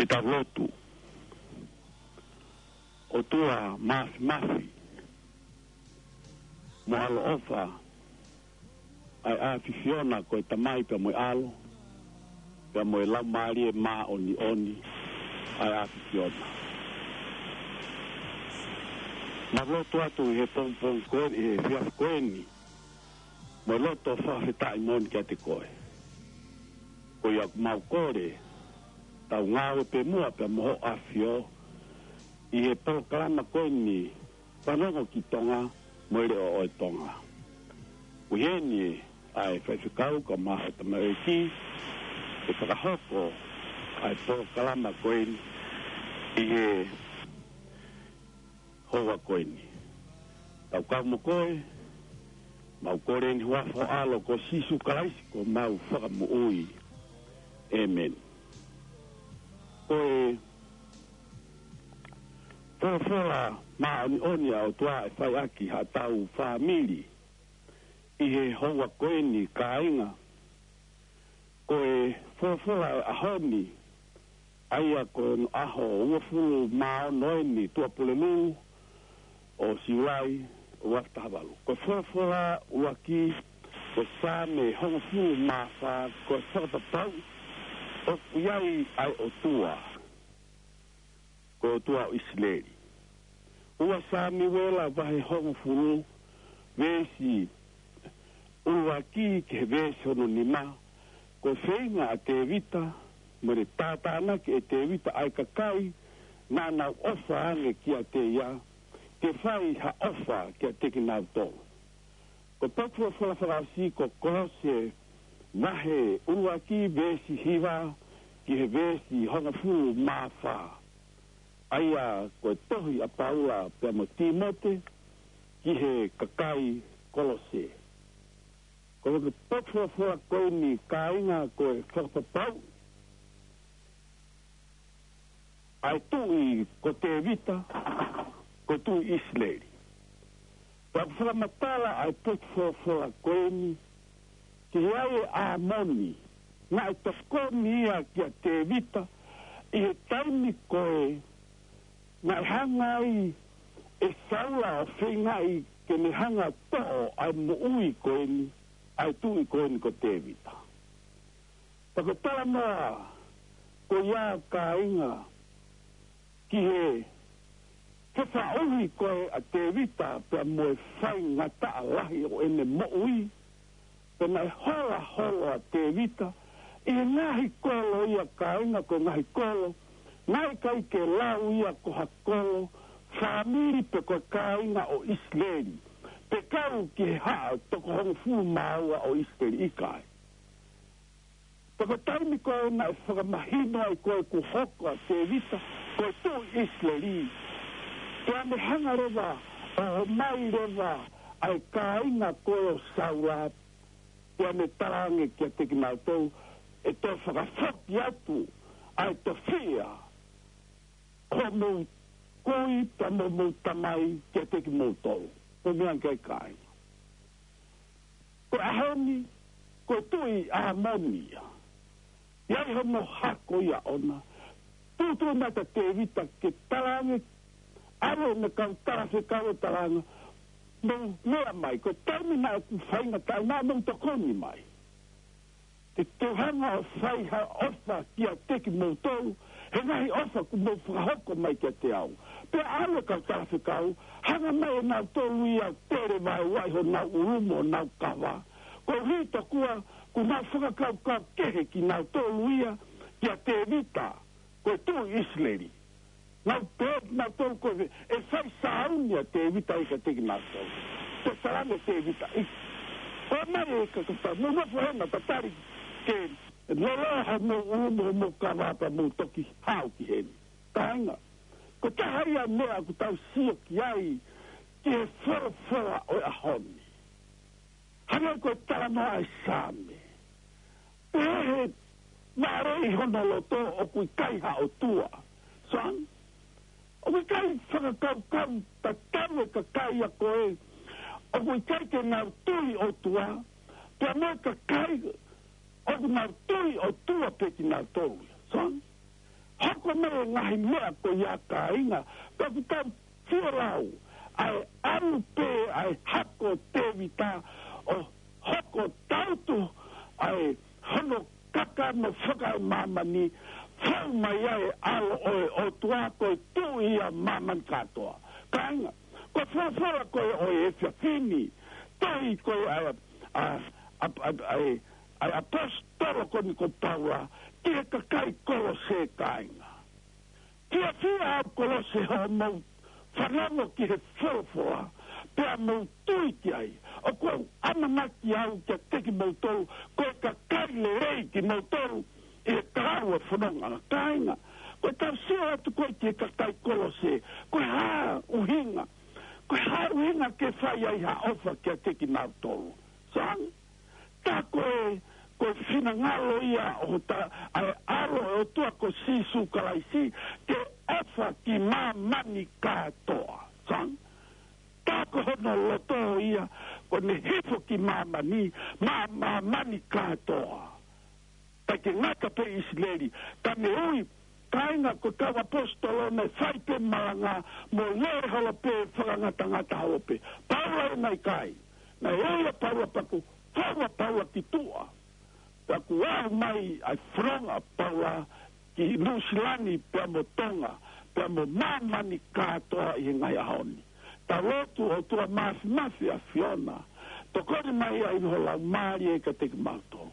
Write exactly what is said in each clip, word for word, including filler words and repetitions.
Ke tau lotu. ʻOtua Māfimafi, mo ʻaloʻofa, ʻa e ʻAfiona ko e Tamai pea mo e ʻAlo, pea mo e Laumālie Māʻoniʻoni, ʻa e ʻAfiona. Mau lotu atu ʻi he pongipongi ko eni, ʻi he efiafi ko eni, mo e loto fakafetaʻi moʻoni kiate koe. Ko ia ʻoku mau kole, tau ngāue pē muʻa pea mo hoʻo ʻAfio, ʻi he polokalama ko eni, Fanongo ki Tonga, mo e Leʻo ʻo e Tonga. Ko eni ʻa e faifekau kae ʻumaʻā e tamaioʻeiki, ʻe fakahoko ʻa e polokalama ko eni ʻi he houa ko eni. Tau kau mo koe, mau kole ʻi he huafa ho ʻAlo ko Sīsū Kalaisi ko homau Fakamoʻui. ʻĒmeni. Ko e folofola māʻoniʻoni ʻa e ʻOtua ʻe fai ʻaki haʻatau fāmili ʻi he houa ko eni kāinga. Ko e folofola ʻo e ʻaho ni, ʻa ia ko e ʻaho uofulu mā ono eni Tuʻapulelulu ʻo Siulai ua afe taha valu. Ko e folofola ʻuluaki, ko e Saame hongofulu mā fā, ko e fakapapau ʻoku ʻi ai ʻa e ʻOtua, ko e ʻOtua ʻo ʻIsileli. Ua Samiuela vahe hongofulu, veesi ʻuluaki ki he veesi hono nima, ko e feinga ʻa Tēvita, mo e tātānaki ʻe Tēvita ʻa e kakai naʻa nau ʻofa ange kiate ia, ke fai ha ʻofa kiate kinautolu. Ko e potu folofola fakaʻosi ko Kolose vahe ʻuluaki veesi hiva ki he veesi hongofulu mā fā. ʻA ia ko e tohi ʻa Paula pea mo Tīmote ki he kakai Kolose. Ko e potu folofola ko eni kāinga ko e fakapapau ʻa e tuʻi ko Tēvita, ko e tuʻi ʻIsileli. Pea ʻoku fakamatala ʻa e potu folofola ko eni, ki he ʻai ʻe ʻĀmoni, naʻe tokoni ia kia Tēvita, ʻi he taimi ko ē, naʻe hanga ai ʻe Saula ʻo feingaʻi ke ne hanga toʻo ʻa e moʻui ko eni, ʻa e tuʻi ko eni ko Tēvita. Pea ko e talanoa ko ia kāinga ki he, he faʻuhi ko ē ʻa Tēvita pea mo e faingataʻa lahi ʻo ʻene moʻui, pea naʻe hola holo ʻa Tēvita, ʻi he ngaahi kolo ia kāinga ko e ngaahi kolo, naʻe ʻikai ke lau ia ko ha kolo, fāmili pe ko e kāinga ʻo ʻIsileli, pe kau ki he haʻa toko hongofulu mā ua ʻo ʻIsileli ʻikai. Pea ko e taimi ko ē naʻe fakamahino ai ko ē kuo hoko ʻa Tēvita ko e tuʻi ʻIsileli. Pea ne hanga leva ʻo ʻomai leva ʻa e kāinga ko ē ʻo Saula. Pea ne talaange kiate kinautolu ʻe toe fakafoki atu ʻa e tofiʻa ʻo hoʻomou kui pea mo homou tamai kiate kimoutolu. Ko e meʻa ʻikai kāinga. Ko e ʻaho ni, ko e tuʻi ʻĀmoni ia. ʻI ai hono hako ia ʻona. Tuʻutuʻu mai kia Tēvita ke talaange, ʻave ʻene kau talafekau ʻo talaange, mou meʻa mai, ko e taimi naʻa ku faingataʻa naʻa mou tokoni mai. Te u hanga ʻo fai ha ʻofa kiate kimoutolu, he ngaahi ʻofa kuo mou fakahoko mai kiate au. Pea ʻave kau talafekau, hanga mai ʻe nautolu ia ʻo tele vaeua ʻi honau ʻulu mo honau kava. Koeʻuhi tokua, kuo nau fakakaukau kehe kinautolu ia kia Tēvita, ko e tuʻi ʻIsileli. Nau pehē nautolu ko e, ʻe fai sāuni ʻa Tēvita ʻikai kiate kinautolu. Pea talaange ʻe Tēvita ʻi, ko e mai e kakata, mou nofo hena tatali ke loloa homou ʻulu mo homou kava pea mou toki haʻu ki heni. Kāinga, ko e taha ia meʻa ʻoku tau sio ki ai ki he folofola ʻo e ʻaho ni. Hangē ko e talanoa ʻa e Saame. Pehē he mālō ʻi hono loto ʻoku ʻikai ha ʻOtua. Soan, ʻoku ʻikai fakakaukau tatau e kakai ia ko ē ʻoku ʻikai ke nau tui ʻOtua, pea mo e kakai ʻoku nau tui ʻOtua pē kinautolu ia. Soan, hoko Ko e ngaahi meʻa ko ia kāinga, ka ʻoku tau fie lau, ʻa e ʻalu pē ʻa e hako ʻo Tēvita ʻo hoko tautu ʻa e hono kakano fakaemāmani, fou mai ʻa e ʻAlo ʻo e ʻOtua ko e Tuʻi ʻa māmani kātoa. Kāinga, ko e folofola ko ē ʻo e efiafi ni, tohi ko ē ʻa e, ʻa, ʻa, ʻa, ʻa e, ʻa e ʻaposetolo ko eni ko Paula ki he kakai Kolose, kāinga. Fiefia ʻa Kolose hoʻomou fanongo ki he folofola, pea mou tui ki ai. ʻOku ou ʻamanaki au kiate kimoutolu, ko e kakai lelei kimoutolu ʻi he kau ʻa e fononga, kāinga. Ko e tau sio atu ko ē ki he kakai Kolose, ko e hā ʻuhinga, ko e hā ʻuhinga ke fai ai ha ʻofa kiate kimautolu? Sai, tā ko e, ko e finangalo ia ʻo ta, ʻa e ʻAlo ʻo e ʻOtua ko Sīsū Kalaisi, ke ʻofa ki māmani kātoa. Sai, tā ko hono loto ia, ko ʻene hifo ki māmani, maʻa māmani kātoa. ʻIkai ke ngata pē ʻIsileli, ka ne ui, kāinga, ko e kau ʻaposetolo naʻe fai pē malanga mo lele holo pē fakangatangata holo pē. Paula ē, naʻe ʻikai. Naʻe ui ʻa Paula pea kuo fou ʻa Paula ki tuʻa. Pea kuo aʻu mai ʻa e fononga ʻa Paula ki Nuʻusila ni pea mo Tonga, pea mo māmani kātoa ʻi he ngaahi ʻaho ni. Tau lotu. ʻOtua Māfimafi ʻa e ʻAfiona, tokoni mai ʻa e ʻi ho laumālie kiate kimautolu.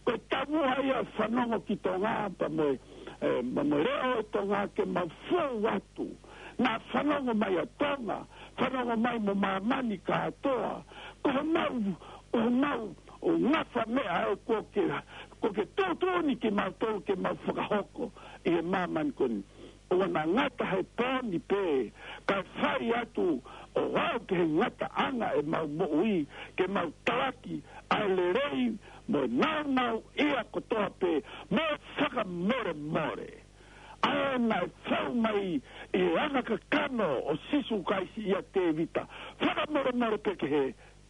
Ko e taumuʻa ia ʻa e fanongo ki Tonga, pea mo e, e, pea mo e leʻo ʻo Tonga ke mau fou atu. Naʻa fanongo mai ʻa Tonga, fanongo mai mo māmani kātoa. Ko homau, ko homau, ʻo ngafa meʻa ʻe kuo ke, kuo ke tuʻutuʻuni kimautolu ke mau fakahoko ʻi he māmani ko eni. ʻOua naʻa ngata he pō ni pē, kae fai atu ʻo aʻu ki he ngataʻanga ʻemau moʻui, ke mau talaki ʻa e lelei mo e nāunauʻia kotoa pē, mo e fakamolemole. ʻA ē naʻe fou mai ʻi he anga kakano ʻo Sīsū Kalaisi ʻia Tēvita, fakamolemole pē ki he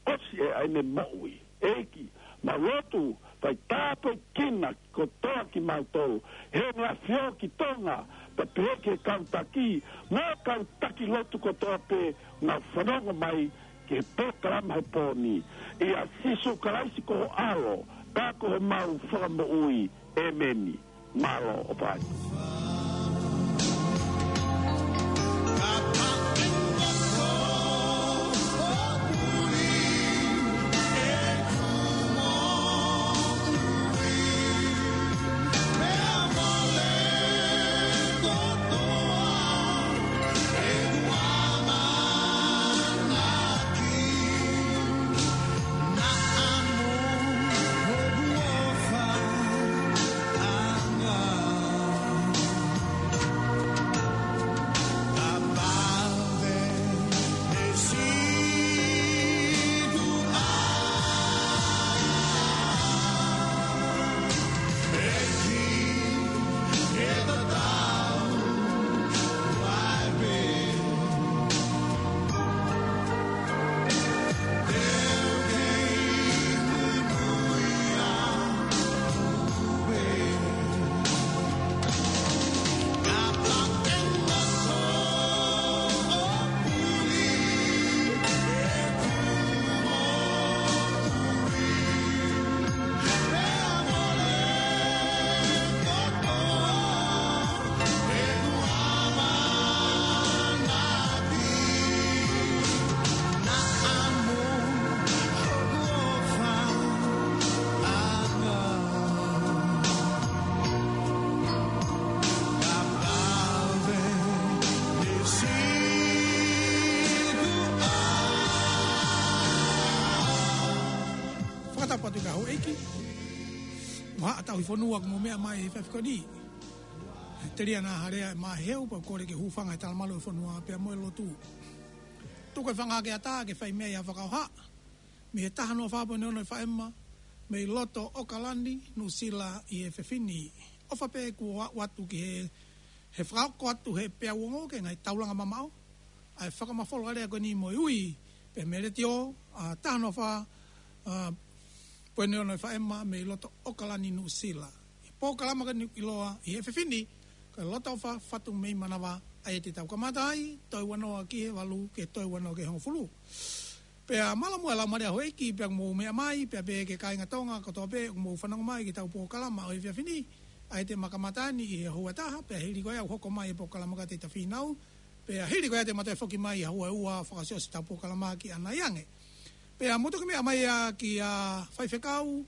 ʻosi ʻe ʻa ʻene moʻui. ʻEiki, mau lotu, fai tāpuekina kotoa kimautolu, Heʻene ʻAfio ki Tonga, pea pehē ki he kau taki, mo e kau taki lotu kotoa pē, naʻa nau fanongo mai ki he polokalama he pō ni. ʻIa Sīsū Kalaisi ko ho ʻAlo, ka ko homau Fakamoʻui. ʻĒmeni. Mālō ʻaupito. Fakatapu atu ki he houʻeiki. Mo haʻa tauhi fonua kuo mou meʻa mai he efiafi ko eni. Telia Nāhalea ʻe Maheu, pea kole ke hūfanga he talamalu ʻo e fonua pea mo e lotu. Tuku e fanga ke ata ke fai mei ai ha fakaʻofa. Mei he taha noa fā poini ono F M, mei loto ʻAokalani, Nuʻusila ʻi he efiafi ni. ʻOfa pē kuo aʻu atu ki he, he fakahoko atu he peau ongo ki he ngaahi taulanga mamaʻo ʻa e fakamafola lea ko eni mo e ui pē mei he letiō, ʻa, taha noa fā, ʻa, poini ono F M mei loto ʻAokalani, Nuʻusila. ʻI he polokalama ko eni ʻiloa ʻi he efiafi ni, Lotoʻofa Fatu mei Manavā, ʻa ia te tau kamata ai, toe ua noa ki he valu, ke toe ua noa ki he hongofulu. Pea mālō muʻa e laumālie ʻa houʻeiki, pea mou meʻa mai, pea pehē ki he kāinga Tonga kotoa pē, ʻoku mou fanongo mai ki heʻetau polokalama ʻo e efiafi ni, ʻa ia te ma kamata ni ʻi he houa ʻe taha, pea hili ko ia ʻoku hoko mai e polokalama ko ia ʻa Tēvita Fīnau, pea hili ko ia te ma toe foki mai ʻi he houa ʻe ua ʻo fakaʻosiʻosi ʻetau polokalama ki ʻanai ange. Pea mou toki meʻa mai ā kia Faifekau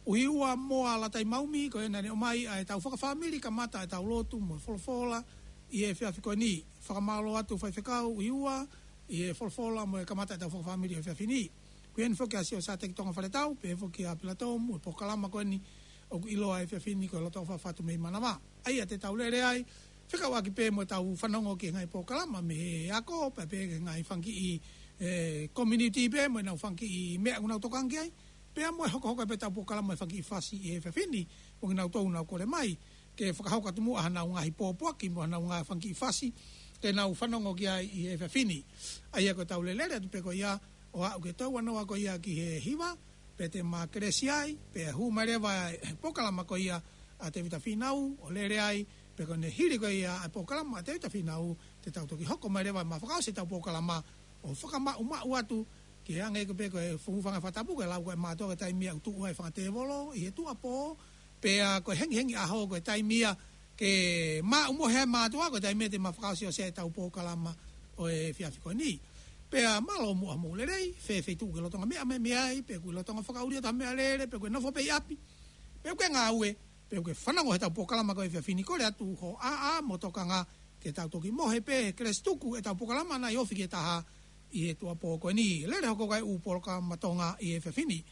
ʻUhiua Moa Latai Maumi, ko ʻene ʻomai ʻa ʻetau fakafāmili kamata ʻetau lotu mo e folofola ʻi he efiafi ko eni. Fakamālō atu Faifekau ʻUhiua ʻi he folofola mo e kamata ʻetau fakafāmili ʻo e efiafi ni. Ko eni foki ʻa Sio Sateki Tonga Faletau, pehē foki ʻa Pilato mo e polokalama ko eni ʻoku ʻiloa he efiafi ni ko e Lotoʻofa Fatu mei Manavā. ʻA ia te tau lele ai, fekauʻaki pē mo ʻetau fanongo ki he ngaahi polokalama mei he ako, pea pehē ki he ngaahi fanga kiʻi, ē, community pē mo ʻenau fanga kiʻi meʻa ʻoku nau tokanga ki ai, pea mo e hokohoko pē ʻetau polokalama ʻi he fanga kiʻi fasi ʻi he efiafi ni, mo kinautolu ʻoku nau kole mai ke fakahoko atu muʻa haʻanau ngaahi pōpoaki mo ʻenau ngaahi fanga kiʻi fasi ke nau fanongo ki ai ʻi he efiafi ni. ʻA ia ko ʻetau lele atu pē ko ia ʻo aʻu ki he toe ua noa ko ia ki he hiva, pea te ma kelesi ai, pea hū mai leva e polokalama ko ia ʻa Tēvita Fīnau, ʻo lele ai, pea ko ʻene hili ko ia e polokalama ʻa Tēvita Fīnau, te tau toki hoko mai leva ʻo ma fakaʻosi ʻetau polokalama, ʻo fakamaʻumaʻu atu, ke hangē ko ē pē ko e fuʻu fanga fakatapu, ko e lau ko ē ʻa e mātuʻa ko e taimi ia ʻoku tuʻu ai e fanga tēvolo ʻi he tuʻuapō, pea ko e hengihengi ʻaho ko e taimi ia ke maʻu mohe ai e mātuʻa, ko e taimi ia te ma fakaʻosiʻosi ai ʻetau polokalama ʻo e efiafi ko eni. Pea mālō muʻa hoʻomou lelei, fēfē ʻi tuʻa, ʻoku ke lolotonga meʻa mai mei ai, pe ʻoku ke lolotonga fakaʻuli atu ha meʻalele, pe ʻoku ke nofo pē ʻi ʻapi, pe ʻoku ke ngāue, pe ʻoku ke fanongo heʻetau polokalama ko e efiafi ni, kole atu hoʻo ʻaʻa mo e tokanga ke tau toki mohe pē he kelesi tuku ʻetau polokalama ʻanai ofi ki he taha ʻi he tuʻuapō ko eni. Lele hoko ko ē e ʻū polokalama Tonga ʻi he efiafi ni.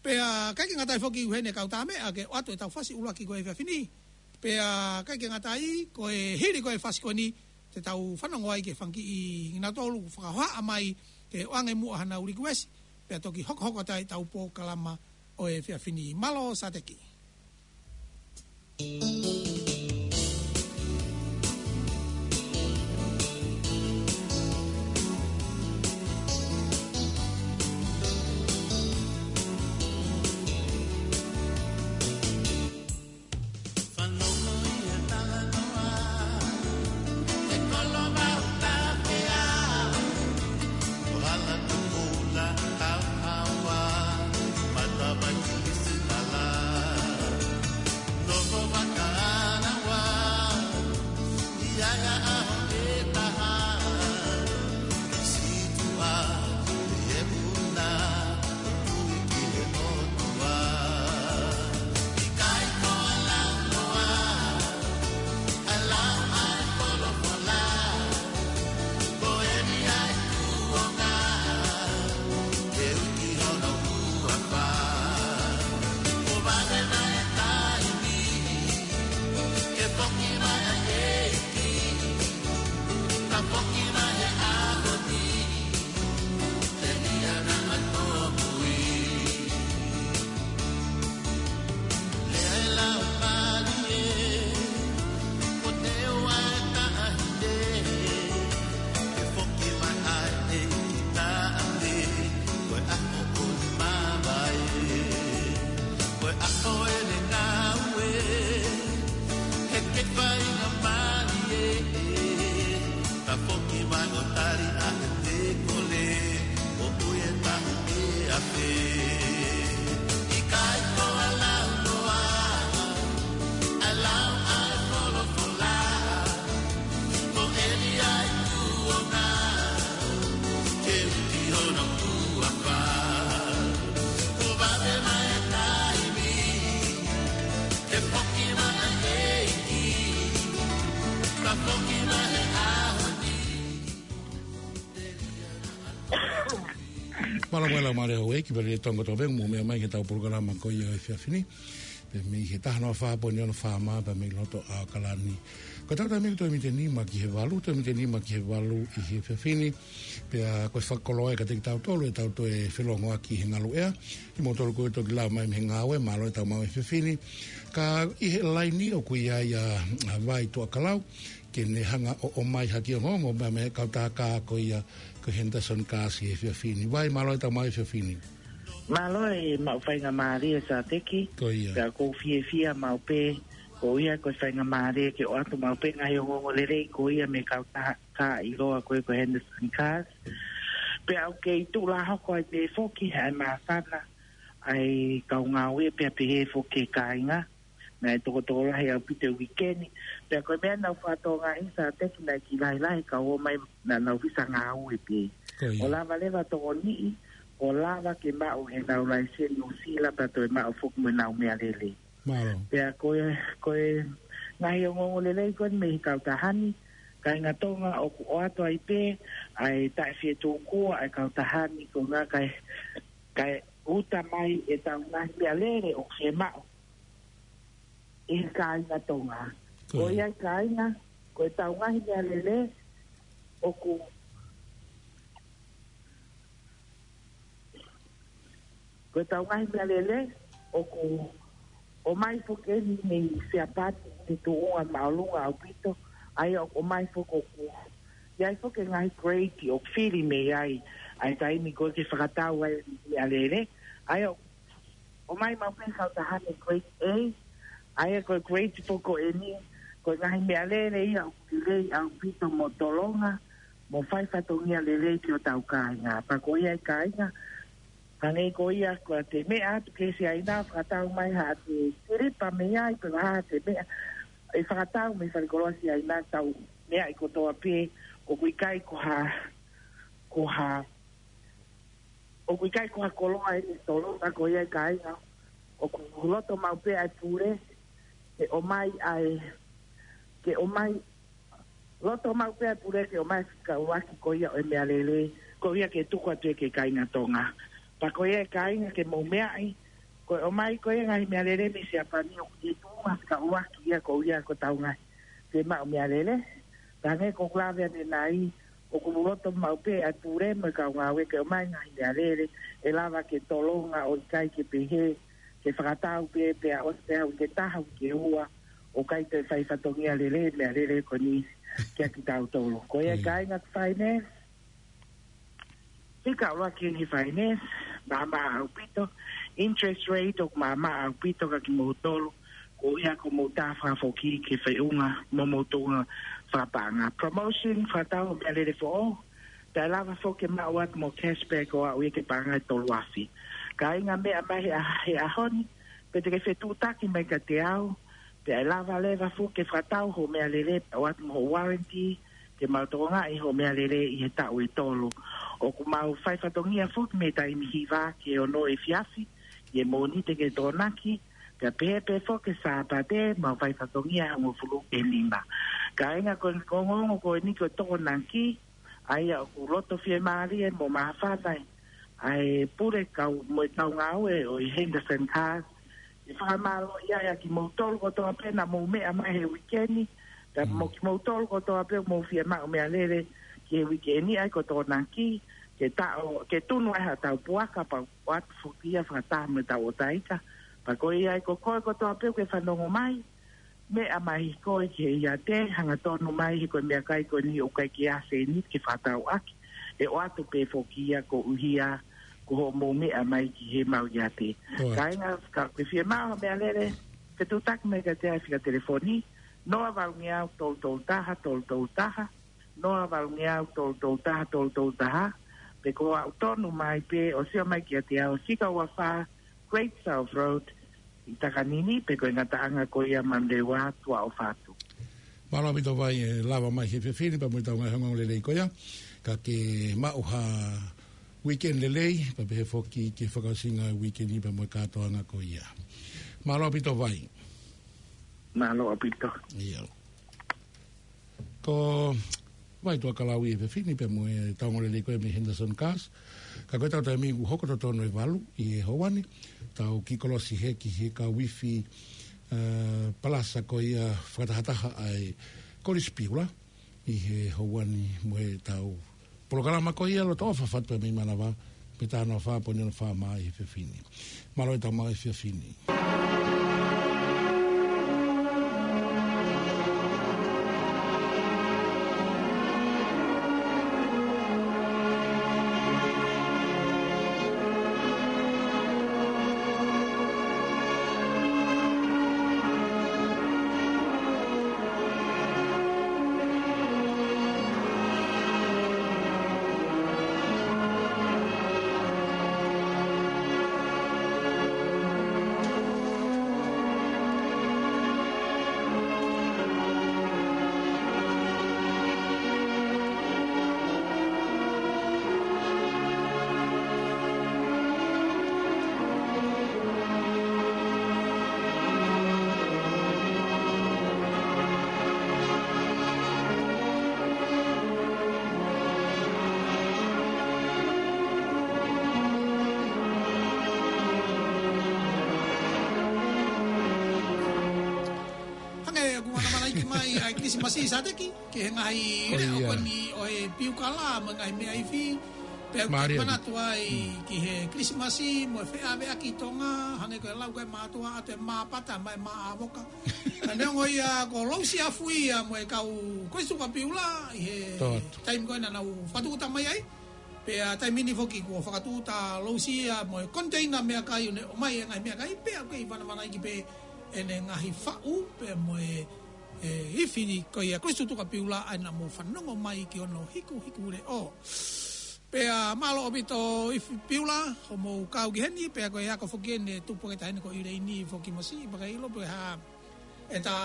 Pea ʻikai ke ngata ai foki, ʻuhinga ʻene kau tā meʻa ke ʻoatu ʻetau fasi ʻuluaki ko e efiafi ni. Pea ʻikai ke ngata ai, ko e hili ko ē e fasi ko eni, te tau fanongo ai ki he fanga kiʻi, kinautolu ʻoku fakahohaʻa mai ke ʻoange muʻa haʻanau likuesi, pea toki hokohoko atu ai ʻetau polokalama ʻo e efiafi ni. Mālō Sateki. Ka foki mai ʻo tali ʻa e tekole, ʻoku ʻi ai e taʻu ʻe afe. ʻIkai ko e lau noa, ʻa e lau ʻa e folofola, ko eni ʻa e tuʻunga, ke uki hono huafa. Kuo vave mai e taimi, ke foki mai ʻa e ʻEiki, ka foki mai he ʻaho ni. Mālō muʻa e laumālie ʻa houʻeiki, pea lelei Tonga kotoa pē ʻoku mou meʻa mai ki heʻetau polokalama ko ia ʻo e efiafi ni. Pea mei he taha noa fā poini ono FM, pea mei loto ʻAokalani. Ko ʻetau taimi ʻoku toe miniti ʻe nima ki he valu, toe miniti ʻe nima ki he valu ʻi he efiafi ni. Pea ko e fakakoloa ia kiate kitautolu ʻetau toe felōngoaki he ngaluʻea. Kimoutolu ko ē ʻoku toki lava mai mei he ngāue, mālō e tau maʻu e efiafi ni. Ka ʻi he laini ʻoku ʻi ai ʻa, ʻa Vai Tuʻakalau, ke ne hanga ʻo ʻomai ha kiʻi ongoongo mei he kau tākā ko ia ko Henderson Kasi he efiafi ni. Vai, mālō e tau maʻu e efiafi ni. Mālō e maʻu faingamālie Sateki. Ko ia. Pea ʻoku ou fiefia maʻu pē Ko ia ko e faingamālie ke ʻoatu maʻu pē ngaahi ongoongo lelei ko ia mei he kautaha ʻiloa ko ē ko Henderson Cars. Pea ʻoku kei tuʻu lā hoko ai pē foki ʻa e māfana ʻa e kau ngāue pea pehē foki e kāinga. Naʻe tokotokolahi ʻaupito e uike ni. Pea ko e meʻa naʻa ku fakatokangaʻi Sāteki naʻe kiʻi lahilahi e kau ō mai naʻa nau visa ngāue pē. Ko ia. ʻO lava leva ʻo tokoniʻi, ʻo lava ke maʻu ʻenau laiseni Nuʻu Sila pea toe maʻu foki mo ʻenau meʻalele. Mālō. Pea ko e, ko e ngaahi ongoongo lelei ko eni mei he kautaha ni, kāinga Tonga, ʻoku ʻoatu ai pē ʻa e taʻefietuʻukua ʻa e kautaha ni ko e ʻuhinga kae, kae uta mai ʻetau ngaahi meʻalele ʻoku fiemaʻu ʻe he kāinga Tonga. Ko ia. Ko ia e kāinga, ko ʻetau ngaahi meʻalele ʻoku Ko ʻetau ngaahi meʻalele ʻoku ʻomai foki eni mei Siapani, ʻi he tuʻunga māʻolunga ʻaupito, ʻa ia ʻoku ʻomai foki ʻoku ʻi ai foki e ngaahi grade ʻoku fili mei ai ʻa e taimi ko ē ke fakatau ai e meʻalele, ʻa ia ʻoku ʻomai maʻu pē ʻe he kautaha ni e grade A, ʻa ia ko e grade foki ko eni, ko e ngaahi meʻalele ia ʻoku lelei ʻaupito mo tolonga, mo fai fatongia lelei ki hotau kāinga. Pea ko ia e kāinga, hangē ko ia ko ʻete meʻa atu ki Siaina, fakatau mai haʻate silipa mei ai, pe ko e hā haʻate meʻa, ʻe fakatau mei falekoloa Siaina, tau meʻa ʻi kotoa pē, ʻoku ʻikai ko ha, ko ha, ʻoku ʻikai ko ha koloa eni e tolonga. Ko ia e kāinga, ʻoku loto maʻu pē ʻa e pule ke ʻomai ʻa e, ke ʻomai, loto maʻu pē ʻa e pule ke ʻomai e fika ʻuluaki ko ia ʻo e meʻalele, ko ia ke tuku atu ia ki he kāinga Tonga. Pea ko ia e kāinga ke mou meaʻi, ko e ʻomai ko ia e ngaahi meʻalele mei Siapani ʻoku ʻi he tuʻunga fika ʻuluaki ia ko ia ko ʻetau ngaahi fiemaʻu meʻalele. Pea hangē ko ʻeku lave ʻanenai, ʻoku loto maʻu pē ʻa e pule mo e kau ngāue ke ʻomai e ngaahi meʻalele ʻe lava ke tolonga, ʻo ʻikai ke pehē ke fakatau pē pea ʻosi pē ha uike ʻe taha, uike ʻe ua, ʻo ʻikai toe fai fatongia lelei e meʻalele ko eni kiate kitautolu. Ko ia e kāinga Finance, fika ʻuluaki eni he Finance, maʻamaʻa ʻaupito, interest rate ʻoku maʻamaʻa ʻaupito kiate kimoutolu, ko ia ko hoʻomou tā fakafoki ki he feʻunga mo hoʻomou tuʻunga fakapaʻanga. Promotion, fakatau hoʻo meʻalele foʻou, pea ʻe lava foki ke maʻu atu mo e cashback ʻo aʻu ia ki he paʻanga ʻe tolu afe. Kāinga, meʻa mai he ʻa-, he ʻaho ni, pe te ke fetuʻutaki mai kiate au, pea ʻe lava leva foki ke fakatau hoʻo meʻalele pea ʻoatu mo hoʻo warranty, ke mau tokangaʻi hoʻo meʻalele ʻi he taʻu ʻe tolu. ʻOku mau fai fatongia foki mei he taimi hiva ki he ono efiafi, ʻi he Mōnite ki he Tokonaki, pea pehē pē foki ki he Sāpate, mau fai fatongia hongofulu ki he nima. Kāinga, ko e ongoongo ko eni ko e Tokonaki, ʻa ia ʻoku loto fiemālie mo māfana ai ʻa e pule kau mo e kau ngāue ʻo e Henderson Cars, ʻe fakamālō ia ʻa kimoutolu kotoa pē naʻa mou meʻa mai he uike ni, pea mo kimoutolu kotoa pē ʻoku mou fiemaʻu meʻalele ki he uike ni, ʻa ia ko e Tokonaki, ke taʻo, ke tunu ai haʻatau puaka pea ʻoatu foki ia fakataha mo ʻetau ʻotaika. Pea ko ia ai ko koe kotoa pē ʻoku ke fanongo mai, meʻa mai koe ki he iate, hangatonu mai he ko e meʻakai ko eni ʻoku ʻikai ke ʻi ai ha sēniti ke fakatau ʻaki, ʻe ʻoatu pē foki ia koeʻuhi ko hoʻomou meʻa mai ki heʻemau iate. Kāinga, ka ʻoku ke fiemaʻu ha meʻalele, fetuʻutaki mai kiate au he fika telefoni, noa valungeau tolu tolu taha, tolu tolu taha, noa valungeau tolu tolu taha, tolu tolu taha, pe ko e aʻu tonu mai pē ʻo sio mai kiate au he fika ua fā, Great South Road, ʻi Takanini, pe ko e ngataʻanga ko ia Manurewa, Tuʻa ʻOfatu. Mālō ʻaupito Vai, ʻe lava mai he efiafi ni pea mo ʻetau ngaahi ongoongo lelei ko ia, ka ke maʻu ha weekend lelei, pea pehē foki ki he fakaʻosinga e weekend ni pea mo e kātoanga ko ia. Mālō ʻaupito Vai. Mālō ʻaupito. ʻIo. Ko Vai Tuʻakalau ʻi he efiafi ni pea mo ʻetau ongoongo lelei ko ia mei Henderson Cars. Ka ko ʻetau taimi kuo hoko totonu e valu ʻi he houa ni, tau kiʻi kolosi hē ki he kau ifi, ē, palasa ko ia fakatahataha ʻa e Kolisi Piula ʻi he houa ni mo ʻetau polokalama ko ia Loto ʻOfa, Fatu pea mei Manava, pea tā noa fā poini ono fā mai he efiafi ni. Mālō ʻetau maʻu e efiafi ni. ʻa e Kilisimasi Sateki, ki he ngaahi leʻo ko eni ʻo e piukala mo e ngaahi meʻa ifi. Pea ʻoku ke manatu ai ki he Kilisimasi mo e feʻaveʻaki Tonga, hangē ko e lau ko e mātuʻa ʻa e māpata mo e māʻavoka. Ka neongo ia ko Lousi Afuia mo e kau Kolisi Tuʻu Kapiula ʻi he taimi ko ē naʻa nau fakatuʻuta mai ai. Pea taimi ni foki kuo fakatuʻuta Lousi ia mo e koniteina meʻakai ʻo ne ʻomai e ngaahi meʻakai, pea ʻoku kei vanavanaiki pē ʻene ngaahi faʻu, pea mo e, e ifi ko ia Kolisi Tuʻu Kapiula ʻa ia naʻa mou fanongo mai ki hono hikuhiku leʻo. Pea mālō ʻaupito ifi Piula, hoʻomou kau ki heni, pea ko e ako foki eni tupu ke tahine ko Ileini foki masi, pea ka ʻilo pē ha, ʻe tā,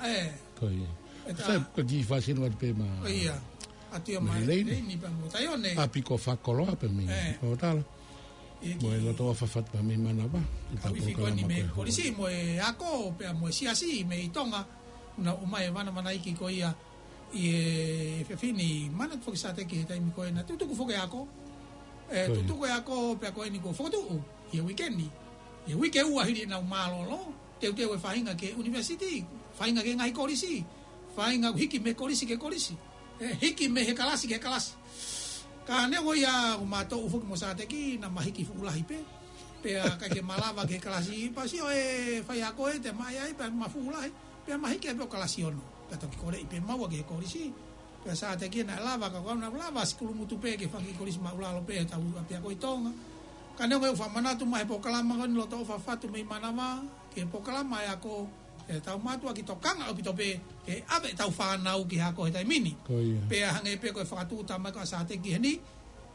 ʻe. Ko ia. ʻE tā. Sai, ko e kiʻi fāsino atu pē ma. Ko ia. Atu ia ma Ileini. Ileini pea mo Taione. ʻApi ko Fakoloa pē mei. ʻE. Ko tala. Mo e loto ʻofa fatu pē mei manava. Kau ifi ko eni mei Kolisi mo e ako, pea mo e siasi mei Tonga. Naʻa ʻomai e vanavanaiki ko ia ʻi he efiafi ni, manatu foki Sateki he taimi ko ē naʻa tutuku foki e ako. ʻE, tutuku e ako, pea ko eni kuo fokotuʻu ʻi he uike ni. ʻI he uike ua hili ʻenau mālōlō, teuteu e faʻahinga ki he university, faʻahinga ki he ngaahi kolisi, faʻahinga hiki mei he kolisi ki he kolisi. ʻE, hiki mei he kalasi ki he kalasi. Ka neongo ia ʻoku ma toʻu foki mo Sateki, naʻa ma hiki fuʻu lahi pē. Pea ʻikai ke ma lava ki he kalasi, pasi ʻo e faiako ē te ma ʻai ai, pea ma fuʻu lahi. Pea ma hiki ai pē ʻo kalasi ono. Pea toki koleʻi pē maua ki he kolisi. Pea Sateki naʻe lava, ka ko au naʻa ku lava sikulu mutu pē ki he fanga kiʻi kolisi māʻulalo pē ʻi he tau ʻapiako ʻi Tonga. Ka neongo ia ʻoku fakamanatu mai he polokalama ko eni loto ʻofa fatu mei manava, ki he polokalama e ako, ʻe tau mātuʻaki tokanga ʻaupito pē, ke ʻave ʻetau fānau ki he ako he taimi ni. Ko ia. Pea hangē pē ko e fakatuʻuta mai ko ē ʻa Sateki heni,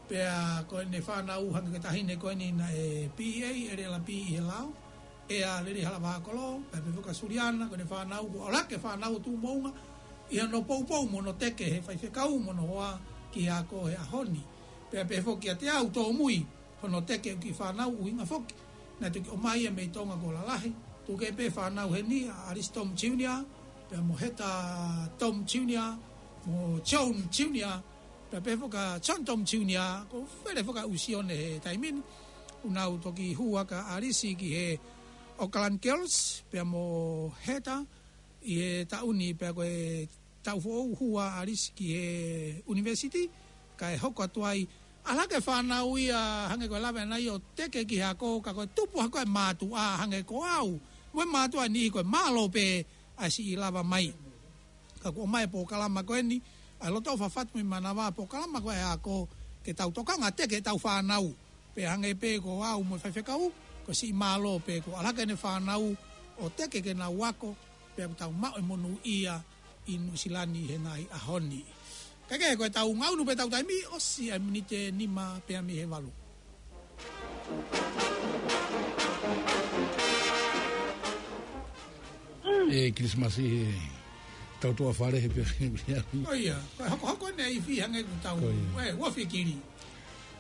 pea ko ʻene fānau hangē ko e taʻahine ko eni naʻe P A, L L B ʻi he lao. ʻEa Lelei Halavakolo, pea pehē foki ʻa Suliana, ko ʻene fānau, ko ʻAlake fānau ʻo Tuʻumoʻunga, ʻi hono poupou mo hono teke he faifekau mo hono hoa ki he ako he ʻaho ni. Pea pehē foki ʻa Teau Tōmui, hono teke ʻo e kiʻi fānau ʻuhinga foki. Naʻe toki ʻomai ia mei Tonga kuo lalahi. Tuku pē fānau heni, ʻa Alice Tom Junior, pea mo Heta Tom Junior, mo John Junior, pea pehē foki ʻa John Tom Junior, ko e fele foki ʻa ʻUsione he taimi ni. ʻOku nau toki hū hake ʻa Alice ki he Auckland Girls, pea mo Heta, ʻi he taʻu ni pea ko e taʻu foʻou hū ʻa Alice ki he university, kae hoko atu ai. ʻAlake fānau ia hangē ko e lave ʻanai ʻo teke ki he ako, ka ko e tupu hake ʻa e mātuʻa hangē ko au. Mo e mātuʻa ni ko e mālō pē ʻa e siʻi lava mai. Ka kuo ʻomai e polokalama ko eni, ʻa e loto ʻofa fatu mei manava, polokalama ko ē ako ke tau tokanga teke ʻetau fānau. Pea hangē pē ko au mo e faifekau, ko e siʻi mālō pē ko ʻAlake ʻene fānau ʻo teke ke nau ako, pea ʻoku tau maʻu e monūʻia ʻi Nuʻusila ni he ngaahi ʻaho ni. Kae kehe ko ʻetau ngaunu pē ʻetau taimi, ʻosi ʻa e miniti ʻe nima pē mei he valu. ʻE Kilisimasi he tau tuʻa fale he pē. Ko ia, ko e hokohoko ʻene ifi hangē ʻoku tau, ko ia, ʻe, ua fikiri.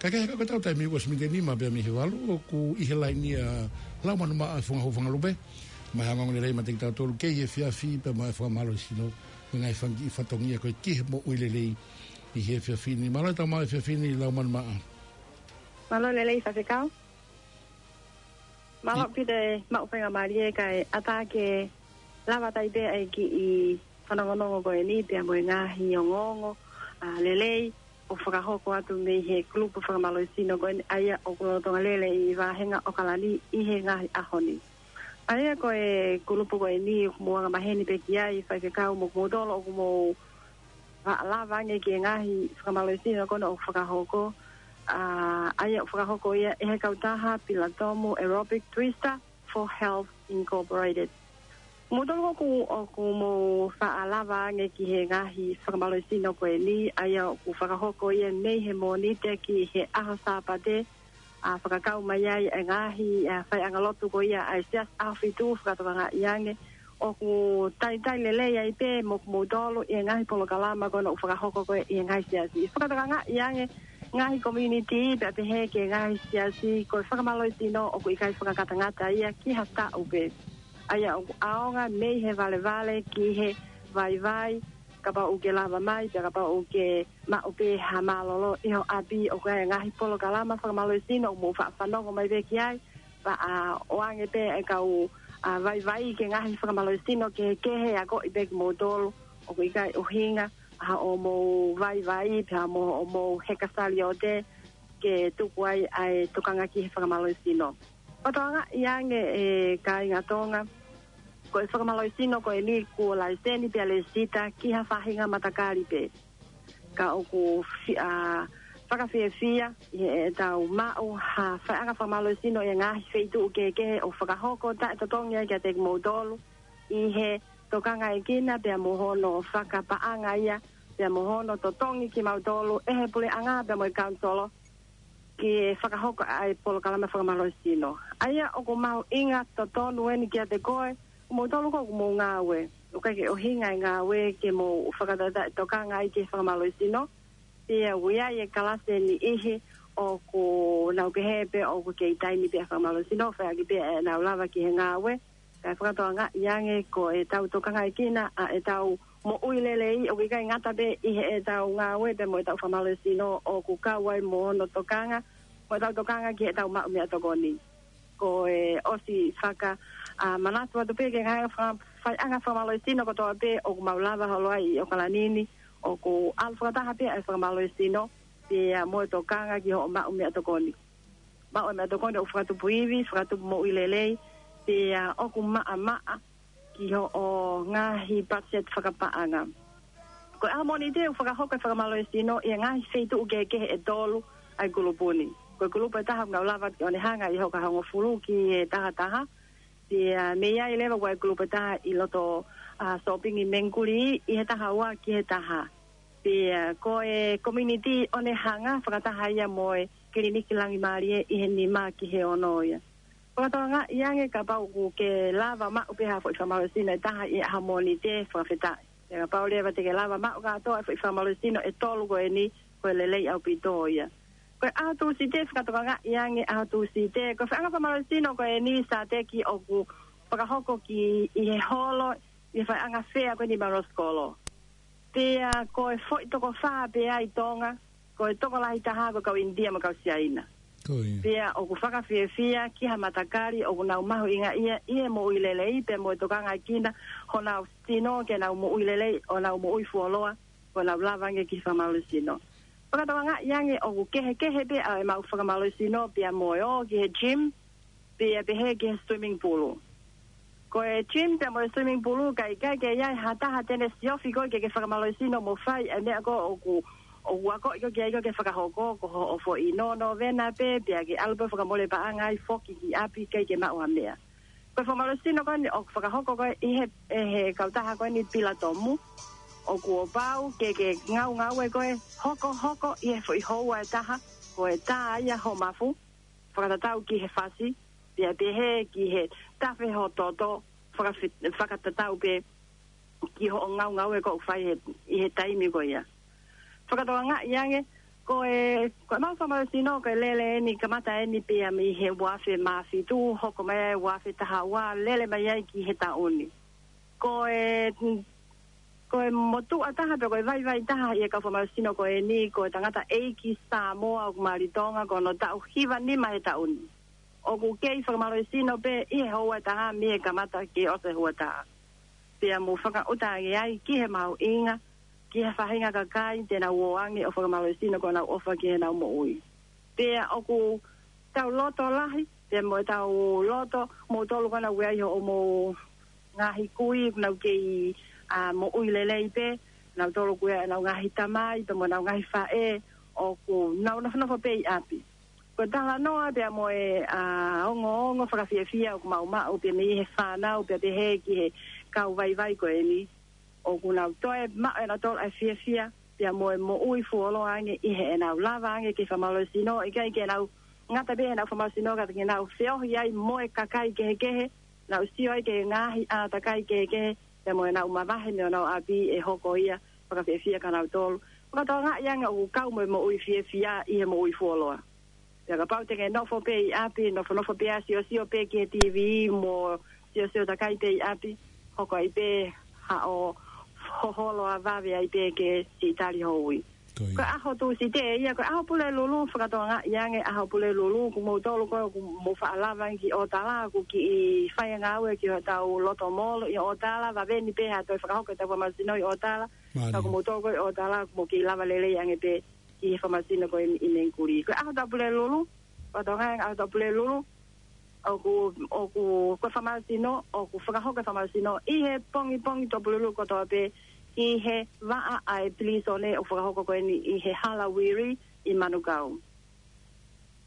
Kae kehe ko ʻetau taimi ʻosi miniti ʻe nima pē mei he valu, ʻoku ʻi he laini ʻa Laumanu Maʻa Fungahou Fangalupe. Maʻa e ongoongo lelei maʻa kitautolu ki he efiafi pea mo e fakamālohisino, mo e ngaahi fanga kiʻi fatongia ko ē ki he moʻui lelei ʻi he efiafi ni. Mālō e tau maʻu efiafi ni Laumanu Maʻa. Mālō lelei faifekau. Mālō ʻaupito e maʻu faingamālie kae ʻatā ke lava atu pē ʻa e kiʻi fanongonongo ko eni pea mo e ngaahi ongoongo, ʻa, lelei ʻoku fakahoko atu mei he kulupu fakamālohisino ko eni ʻa ia ʻoku lolotonga lele ʻi vāhenga ʻAokalani ʻi he ngaahi ʻaho ni. ʻA ia ko e kulupu ko eni ʻoku mou angamaheni pē ki ai faifekau mo kimoutolu ʻoku mou faʻa lava ange ki he ngaahi fakamālohisino ko ena ʻoku fakahoko, ʻa, ʻa ia ʻoku fakahoko ia ʻe he kautaha Pilatomu Aerobic Twister for Health Incorporated. Kimoutolu ʻoku, ʻoku mou faʻa lava ange ki he ngaahi fakamālohisino ko eni, ʻa ia ʻoku fakahoko ia mei he Mōnite ki he ʻaho Sāpate, ʻa, fakakau mai ai e ngaahi, ʻa, faiʻanga lotu ko ia ʻa e Siasi ʻAhofitu fakatokangaʻi ange ʻoku talitali lelei ai pē mo kimoutolu ʻi he ngaahi polokalama ko ena ʻoku fakahoko ko ē ʻi he ngaahi siasi. Fakatokangaʻi ange ngaahi community pea pehē ki he ngaahi siasi ko e fakamālohisino ʻoku ʻikai fakangatangata ia ki ha taʻu pē. ʻA ia ʻoku ʻaonga mei he valevale ki he vaivai, kapau ʻoku ke lava mai, pea kapau ʻoku ke maʻu pē ha mālōlō ʻi ho ʻapi, ʻoku ʻi ai e ngaahi polokalama fakamālohisino ʻoku mou faʻa fanongo mai pē ki ai, pea ʻoange pē e kau, ʻa, vaivai ki he ngaahi fakamālohisino kehekehe, akoʻi pē kimoutolu ʻoku ʻikai ʻuhinga ʻa hoʻomou vaivai pe ʻa mo hoʻomou heka saliote ke tuku ai ʻa e tokanga ki he fakamālohisino. Fakatokangaʻi ange, ʻe kāinga Tonga, ko e fakamālohisino ko eni kuo laiseni pea lēsisita ki ha faʻahinga matakali pē. Ka ʻoku fi-, ʻa, fakafiefia ʻi heʻetau maʻu ha faiʻanga fakamālohisino ʻi he ngaahi feituʻu kehekehe ʻo fakahoko taʻetotongi ai kiate kimoutolu ʻi he tokangaʻekina pea mo hono fakapaʻanga ia, pea mo hono totongi kimautolu ʻe he puleʻanga pea mo e kaunisolo ke fakahoko ʻa e polokalama fakamālohisino. ʻA ia ʻoku mahuʻinga totonu eni kiate koe, kimoutolu ko ē ʻoku mou ngāue. ʻOku ʻikai ke ʻuhinga e ngāue ke mou fakataʻetaʻe tokanga ai ki he fakamālohisino. Pea ʻoku ʻi ai e kalasi ʻe niʻihi ʻoku nau pehē pē ʻoku kei taimi pē ʻa e fakamālohisino, fai ʻaki pē ʻenau lava ki he ngāue. Kae fakatokangaʻi ange ko ʻetau tokangaʻekina ʻa ʻetau moʻui lelei, ʻoku ʻikai ngata pē ʻi heʻetau ngāue pea mo ʻetau fakamālohisino, ʻoku kau ai mo hono tokanga, mo ʻetau tokanga ki heʻetau maʻu meʻatokoni. Ko e ʻosi faka, ʻa, manatu atu pē ki he ngaahi faka-, faiʻanga fakamālohisino kotoa pē ʻoku mau lava holo ai ʻi ʻAokalani ni, ʻoku ʻalu fakataha pē ʻa e fakamālohisino, pea mo e tokanga ki hoʻo maʻu meʻatokoni. Maʻu e meʻatokoni ʻoku fakatupu ivi, fakatupu moʻui lelei, pea ʻoku maʻamaʻa ki hoʻo ngaahi budget fakapaʻanga. Ko e ʻaho Mōnite ʻoku fakahoko e fakamālohisino ʻi he ngaahi feituʻu kehekehe ʻe tolu ʻa e kulupu ni. Ko e kulupu ʻe taha ʻoku nau lava ʻo ne hanga ʻi he hoka hongofulu ki he taha taha. Pea mei ai leva ʻoku ʻi ai e kulupu ʻe taha ʻi loto, ʻa, Sōpingi Mengikuli ʻi he taha ua ki he taha. Pea ko e community ʻo ne hanga fakataha ia mo e kiliniki Langimālie ʻi he nima ki he ono ia. Fakatokangaʻi ange kapau ʻoku ke lava maʻu pē ha foʻi fakamālohisino ʻe taha ʻi he ʻaho Mōnite, fakafetaʻi. Pea kapau leva te ke lava maʻu kātoa e foʻi fakamālohisino ʻe tolu ko eni, ko e lelei ʻaupito ia. Ko e ʻaho Tūsite, fakatokangaʻi ange ʻaho Tūsite, ko e faiʻanga fakamālohisino ko eni Sāteki ʻoku fakahoko ki ʻi he holo, ʻi he faiʻanga fea ko eni Maroskolo. Pea ko e foʻi toko fā pē ʻi Tonga, ko e tokolahi taha ko e kau ʻInitia mo e kau Siaina. Ko ia. Pea ʻoku fakafiefia ki ha matakali ʻoku nau mahuʻingaʻia ʻi he moʻui lelei, pea mo e tokangaʻekina honau sino ke nau moʻui lelei, ʻo nau moʻui fuoloa, ko ʻenau lava ange ki he fakamālohisino. Fakatokangaʻi ange ʻoku kehekehe pē ʻa e maʻu fakamālohisino pea mo e ō ki he gym, pea pehē ki he swimming pool. Ko e gym pea mo e swimming pool, ʻikai, ʻikai ke ʻi ai ha taha te ne siofi koe ke ke fakamālohisino mo fai ʻa e meʻa ko ē ʻoku, ʻoku akoʻi koe ki ai ko ē ke fakahoko, ko hoʻo foʻi nō nōvena pē, pea ke ʻalu pē ʻo fakamole paʻanga ai foki ki ʻapi ʻikai ke maʻu ha meʻa. Ko e fakamālohisino ko eni ʻoku fakahoko ko ē ʻi he, ʻe he kautaha ko eni Pilatomu, ʻoku ou pau ke ke ngaungaue koe hokohoko ʻi he foʻi houa ʻe taha, ko e tā ia ho mafu, fakatatau ki he fasi, pea pehē ki he tafe ho toto, fakafi-, fakatatau pē ki hoʻo ngaungaue ʻoku fai he, ʻi he taimi ko ia. Fakatokangaʻi ange, ko e, ko e maʻu fakamālohisino, ko e lele eni, kamata eni pea mei he ua afe mā fitu, hoko mai ua afe taha ua, lele mai ai ki he taʻu ni. Ko e, ko e motuʻa taha pea ko e vaivai taha ʻi he kau fakamālohisino ko eni, ko e tangataʻeiki Samoa ʻoku mali Tonga, ko hono taʻu hiva nima he taʻu ni. ʻOku kei fakamālohisino pē ʻi he houa ʻe taha mei he kamata ke ʻosi e houa ʻe taha. Pea mou fakaʻuta ange ai ki he mahuʻinga, ki he faʻahinga kakai te nau ō ange ʻo fakamālohisino ko ʻenau ʻofa ki heʻenau moʻui. Pea ʻoku tau loto lahi, pea mo ʻetau loto, moutolu ko ena ʻoku ʻi ai hoʻomou ngaahi kui, ʻoku nau kei, ʻa, moʻui lelei pē, nautolu ʻoku ʻi ai ʻenau ngaahi tamai, pea mo ʻenau ngaahi faʻē, ʻoku nau nofonofo pē ʻi ʻapi. Ko e talanoa pea mo e, ʻa, ongoongo fakafiefia ʻoku mau maʻu pea mei he fānau pea pehē ki he kau vaivai ko eni. ʻOku nau toe maʻu ʻe nautolu ʻa e fiefia, pea mo e moʻui fuoloa ange ʻi heʻenau lava ange ke fakamālohisino, ʻikai ke nau ngata pē heʻenau fakamālohisino ka ke nau feohi ai mo e kakai kehekehe, nau sio ai ki he ngaahi ʻātakai kehekehe, pea mo ʻenau mavahe mei honau ʻapi ʻe hoko ia fakafiefia kia nautolu. Fakatokangaʻi ange ʻoku kau mo e moʻui fiefia ʻi he moʻui fuoloa. Pea kapau te ke nofo pē ʻi ʻapi, nofonofo pē ʻo siosio pē ki he TV mo siosio takai pē ʻi ʻapi, hoko ai pē haʻo hoholo ʻo vave ai pē ke siʻi tali ho ui. Ko ia. Ko e ʻaho Tūsite ia, ko e ʻaho Pulelulu, fakatokangaʻi ange ʻaho Pulelulu, ko moutolu ko ē ʻoku mou faʻa lava ki ʻOtala, ʻoku kiʻi fai ngāue ki hotau loto molo ʻi ʻOtala, vave ni pē ha toe fakahoko ʻetau fakamālohisino ʻi ʻOtala. Mālie. Ka ko moutolu ko ē ʻi ʻOtala, ʻoku mou kiʻi lava lelei ange pē ki he fakamālohisino ko eni ʻi Mengikuli. Ko e ʻaho ʻetau Pulelulu, fakatokangaʻi ange ʻaho ʻetau Pulelulu, ʻoku, ʻoku, ko e fakamālohisino, ʻoku fakahoko e fakamālohisino ʻi he pongipongi Tuʻapulelulu kotoa pē ʻi he vaʻa ʻa e pilīsone ʻoku fakahoko ko eni ʻi he hala Wiri ʻi Manukau.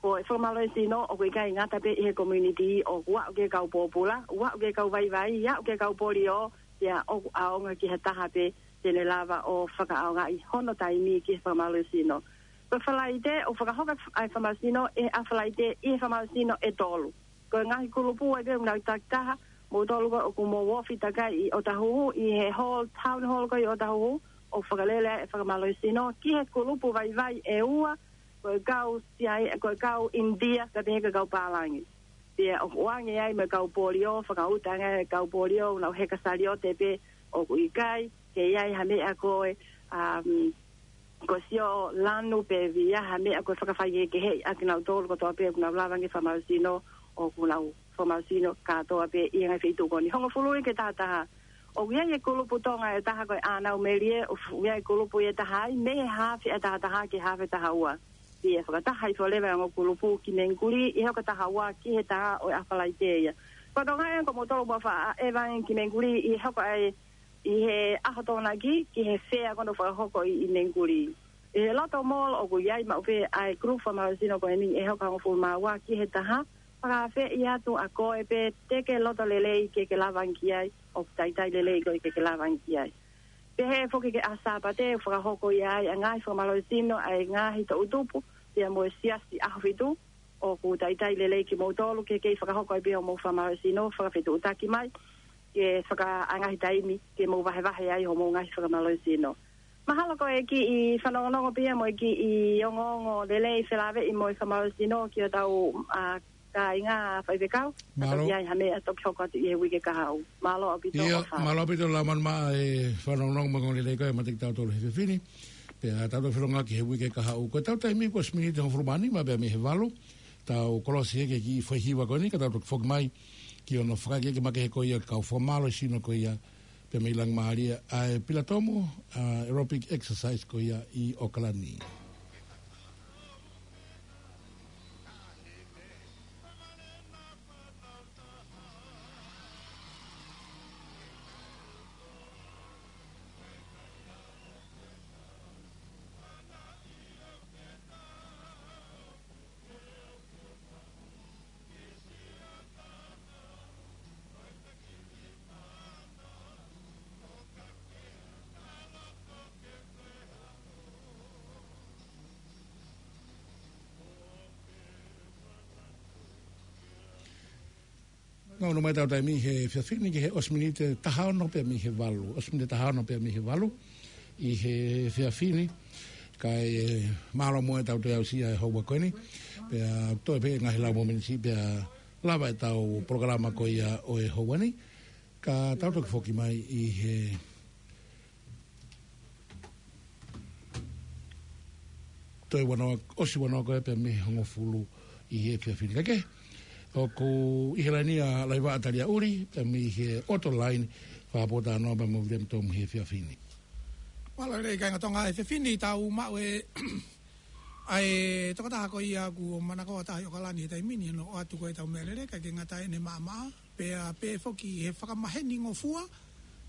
Ko e fakamālohisino ʻoku ʻikai ngata pē ʻi he community, ʻoku aʻu ki he kau pōpula, ʻoku aʻu ki he kau vaivai, aʻu ki he kau polio, pea ʻoku ʻaonga ki ha taha pē te ne lava ʻo fakaʻaongaʻi hono taimi ki he fakamālohisino. Ko e Falaite, ʻoku fakahoko ʻa e fakamālohisino ʻi he ʻaho Falaite ʻi he fakamālohisino ʻe tolu. Ko e ngaahi kulupu ʻa ia ʻoku nau takitaha, moutolu ko ē ʻoku mou ofi takai ʻi ʻOtahuhu, ʻi he hall, town hall ko ē ʻi ʻOtahuhu, ʻoku fakalele ai e fakamālohisino ki he kulupu vaivai ʻe ua, ko e kau Siai, ko e kau ʻInitia, pea pehē ki he kau pālangi. Pea ʻoku ʻoange ai mo e kau polio, fakauta ange e kau polio, nau heka saliote pē ʻoku ʻikai, ke ʻi ai ha meʻa ko e, um, ko e sio lanu pe via ha meʻa ko e fakafaikehekeheʻi ʻa kinautolu kotoa pē ʻoku nau lava ange fakamālohisino, ʻoku nau fakamālohisino kātoa pē ʻi he ngaahi feituʻu ko eni. Hongofulu ʻi he tahataha. ʻOku ʻi ai e kulupu Tonga ʻe taha ko e ʻĀnau Melie, ʻoku ʻi ai e kulupu ʻe taha ai, mei he hafe ʻe tahataha ki he hafe ʻe tahaua. Pea fakataha hifo leva e ongo kulupu ki Mengikuli, ʻi he hoka tahaua ki he taha ʻo e ʻaho Falaite ia. Fakatokangaʻi ange ko moutolu ʻoku mou faʻa ʻeva ange ki Mengikuli, ʻi he hoka ʻa e ʻi he ʻaho Tokonaki ki he fea ko ē ʻoku fakahoko ʻi, ʻi Mengikuli. ʻI he loto molo ʻoku ʻi ai maʻu pē ʻa e kulupu fakamālohisino ko eni ʻi he hoka hongofulu mā ua ki he taha, fakaafeʻi atu ʻa koe pē te ke loto lelei ke ke lava ange ki ai, ʻoku taitai lelei koe ke ke lava ange ki ai. Pehē foki ki he ʻaho Sāpate, fakahoko ia ai ʻa e ngaahi fakamālohisino ʻa e ngaahi toʻutupu, pea mo e siasi ʻAhofitu, ʻoku taitai lelei kimoutolu ke kei fakahoko ai pē hoʻomou fakamālohisino, fakafetuʻutaki mai, ke fakaʻangahi taimi, ke mou vahevahe ai hoʻomou ngaahi fakamālohisino. Mahalo ko e kiʻi fanongonongo pē ia mo e kiʻi ongoongo lelei felāveʻi mo e fakamālohisino ki hotau, ʻa, kāinga faifekau. Mālō. Ka toki ʻi ai ha meʻa toki hoko atu ʻi he uike kahaʻu. Mālō ʻaupito. ʻIo, ʻofa. Mālō ʻaupito Laumanu maʻa e fanongonongo mo e ongoongo lelei ko ē ʻa e Matikitau Tolu he efiafi ni. Pea tau toe feʻiloaki he uike kahaʻu. Ko ʻetau taimi ko e ʻosi miniti hongofulu mā nima pea mei he valu. Tau kolosi hake ki he foʻi hiva ko eni, ka tau toki foki mai ki hono fakaʻekeʻeke makehe ko ia ʻa e kau fakamālohisino ko ia pea mei Langamālie, ʻa e Pilatomu, ʻa, aerobic exercise ko ia ʻi ʻOkalani. Nau nau mai ʻetau taimi he efiafi ni ki he ʻosi miniti taha ono pea mei he valu. ʻOsi miniti taha ono pea mei he valu ʻi he efiafi ni. Kae mālō muʻa ʻetau toe aʻusia e houa ko eni. Pea toe pē ngaahi lau mo e miniti pea lava ʻetau polokalama ko ia ʻo e houa ni. Ka tau toki foki mai ʻi he toe ua noa, ʻosi ua noa ko ē pea mei he hongofulu ʻi he efiafi ni. Kae kehe, ʻoku ʻi he laini ʻa Laivaʻa Taliaʻuli pea mei he ʻOto Laini, fakapōtalanoa pea mo William Tom he efiafi ni. Mālō e kāinga Tonga, he efiafi ni tau maʻu e, ʻa e tokotaha ko ia ʻoku manako ʻa taha ʻi ʻOkalani he taimi ni, hono ʻoatu ko ē ʻetau meʻalele, ʻikai ke ngata ʻene maʻamaʻa, pea pehē foki he fakamaheni-ngofua,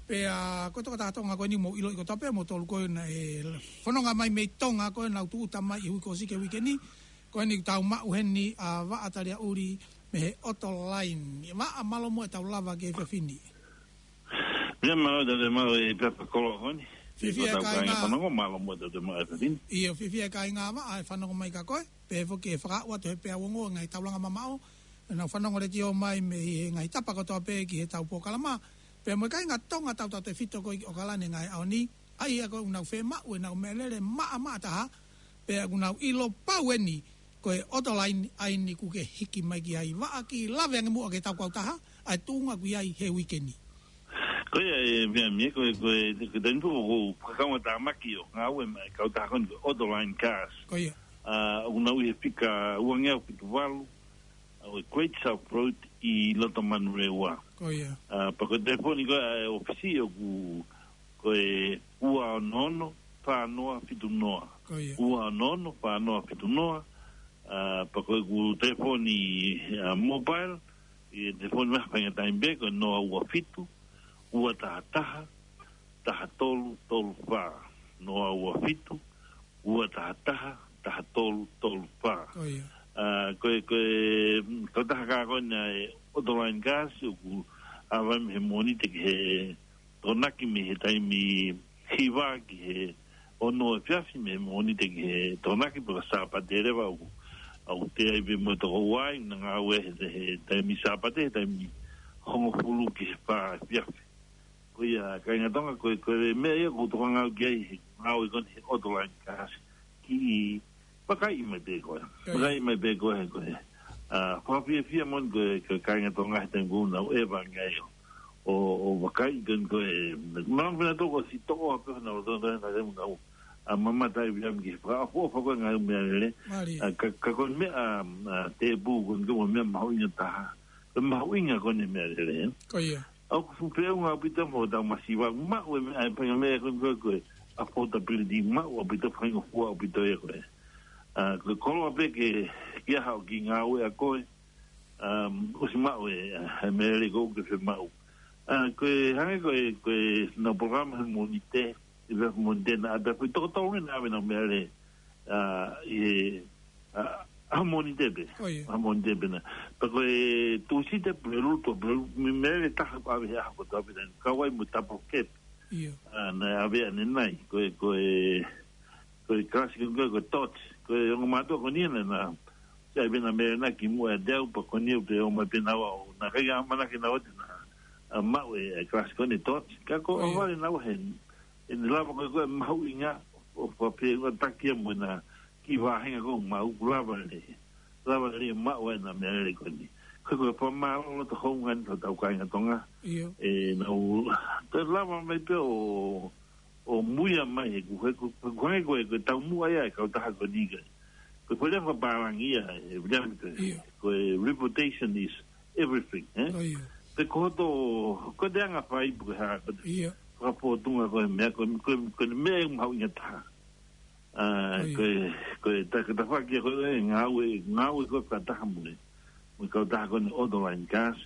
pea ko e tokotaha Tonga ko eni mou ʻiloʻi kotoa pē moutolu ko ē naʻe fononga mai mei Tonga ko ē naʻa nau tūʻuta mai ʻi he uike ʻosi ki he uike ni, ko eni ʻoku tau maʻu heni ʻa Vaʻa Taliaʻuli mei he ʻOto Laini. Vaʻa, mālō muʻa ʻetau lava ki he efiafi ni. Ia, mālō ʻetau toe maʻu e pepa koloa ko eni. Fiefia e kāinga. Ko ʻetau kāinga fanongo, mālō muʻa ʻetau toe maʻu e efiafi ni. ʻIo, fiefia e kāinga Vaʻa he fanongo mai kia koe. Pehē foki he fakaaʻu atu he peau ongo ngaahi taulanga mamaʻo, ʻenau fanongo letiō mai mei he ngaahi tapa kotoa pē ki heʻetau polokalama. Pea mo e kāinga Tonga tautautefito ko ē ʻi ʻOkalani he ngaahi ʻaho ni, ʻa ia ko ē ʻoku nau fiemaʻu ʻenau meʻalele maʻamaʻa taha, pea ʻoku nau ʻilo pau eni ko e ʻOto Laini ʻa eni ʻoku ke hiki mai ki ai. Vaʻa, kiʻi lave ange muʻa ki heʻetau kautaha, ʻa e tuʻunga ʻoku ʻi ai he uike ni. Ko ia e meʻa mei he, ko e, ko e, ko e taimi pē ʻoku ou fakakaungātāmaki ʻo ngāue maʻa e kautaha ko eni ko e Autoline Cars. Ko ia. ʻA, ʻoku nau ʻi he fika ua ngeau fitu valu, ʻa, ʻo e Great South Road ʻi loto Manurewa. Ko ia. ʻA, pea ko e telefoni ko ē ʻa e ʻōfisi ʻoku, ko e ua ono ono, fā noa fitu noa. Ko ia. Ua ono ono, fā noa fitu noa. ʻA, pea ko ʻeku telefoni, ʻa, mobile, ʻi he telefoni mai ha faʻahinga taimi pē, ko e noa ua fitu, ua taha taha, taha tolu tolu fā. Noa ua fitu, ua taha taha, taha tolu tolu fā. Ko ia. ʻA, ko e, ko e, mm, kautaha ko eni ʻa e Autoline Cars, ʻoku ʻave mei he Mōnite ki he Tokonaki mei he taimi hiva ki he ono efiafi, mei he Mōnite ki he Tokonaki, pea ko e Sāpate leva ʻoku, ʻoku teʻeki ai pē mo e toko ua, ʻoku nau ngāue he, he taimi Sāpate, he taimi hongofulu ki he fā efiafi. Ko ia, kāinga Tonga, ko e, ko e meʻa ia ʻoku ou tokanga au ki ai he ngāue ko eni he Autoline Cars, ke vakai mai pē koe. Ko ia. Vakai mai pē koe, ko e. ʻA, fakafiefia moʻoni ko e, ko e kāinga Tonga he taimi ʻoku nau ʻeva ngai ʻo, ʻo, ʻo vakai ko eni ko e, maʻu pē nautolu ko e sitoʻo pē nautolu he taimi ʻoku nau, ʻa, mamata ai pē ia ki he fakaʻofoʻofa ko ē ngaahi meʻalele. Mālie. ʻA, ka, ka ko e meʻa, ʻa, tēpū ko eni ko e meʻa mahuʻinga taha. Ko e mahuʻinga ko eni meʻalele. Ko ia. ʻOku fuʻu feʻunga ʻaupito mo ʻetau masiva, maʻu e meʻa, ʻa e faʻahinga meʻa ko ē ko e, ko e affordability, maʻu ʻaupito, faingofua ʻaupito ia ko ē. ʻA, ko e koloa pē ke, ke ʻaho ki ngāue ʻa koe, um, ʻosi maʻu e, ʻa, e meʻalele ko ē ʻoku ke fiemaʻu. ʻA, ko e hangē ko e, ko ʻenau polokalama he Mōnite, ʻi he Mōnite naʻa ʻave, ko e toko tolu eni naʻa ʻave ʻenau meʻalele, ʻa, ʻi he, ʻa, ʻaho Mōnite pē. Ko ia. ʻAho Mōnite pē naʻa. Pea ko e Tūsite, Pulelulu, Tuʻapulelulu, meʻalele taha ʻoku ʻave he ʻaho kotoa pē naʻa. Kau ai mo e double cab. ʻIo. ʻA, naʻe ʻave ʻanenai. Ko e, ko e, ko e kalasi ko ē, ko e Dodge. Ko e ongo mātuʻa ko eni naʻa, naʻa, ʻosi ʻave ʻenau meʻalele naʻa ki muʻa ʻiate au, pea ko eni ʻoku ō mai pē naua ʻo, naʻe ʻikai ke ʻamanaki naua te na, ʻa, maʻu e, e kalasi ko eni Dodge. Ka ko e, ʻio, ʻohovale naua he, ʻene lava ko ē ko e mahuʻinga ʻo fakafeʻungataki ia mo ʻena kiʻi vāhenga ko ē ʻoku maʻu, kuo lava lelei. Lava lelei maʻu ai ʻena meʻalele ko eni. Ko e, ko e fakamālō loto houngaʻia ʻi hotau kāinga Tonga. ʻIo. ʻEnau, ko e lava mai pē ʻo, ʻo muia mai he ko e, ko e, ko e hangē ko e, ko e taumuʻa ia e kautaha ko eni ka. Ko e foʻi lea fakapālangi ia, e, William, ko e, ʻio, ko e reputation is everything, ē? Ko ia. Pe ko hoto, ko e anga fai pe ko e hā, ko e, ʻio, fakapōtunga ko e meʻa, ko e, ko e, ko e meʻa ʻoku mahuʻinga taha. ʻA, ko ia, ko e, ko e ta-, ko e tafaʻaki ko ē ngāue, ngāue ko ē fakataha mo e, mo e kautaha ko eni Autoline Cars.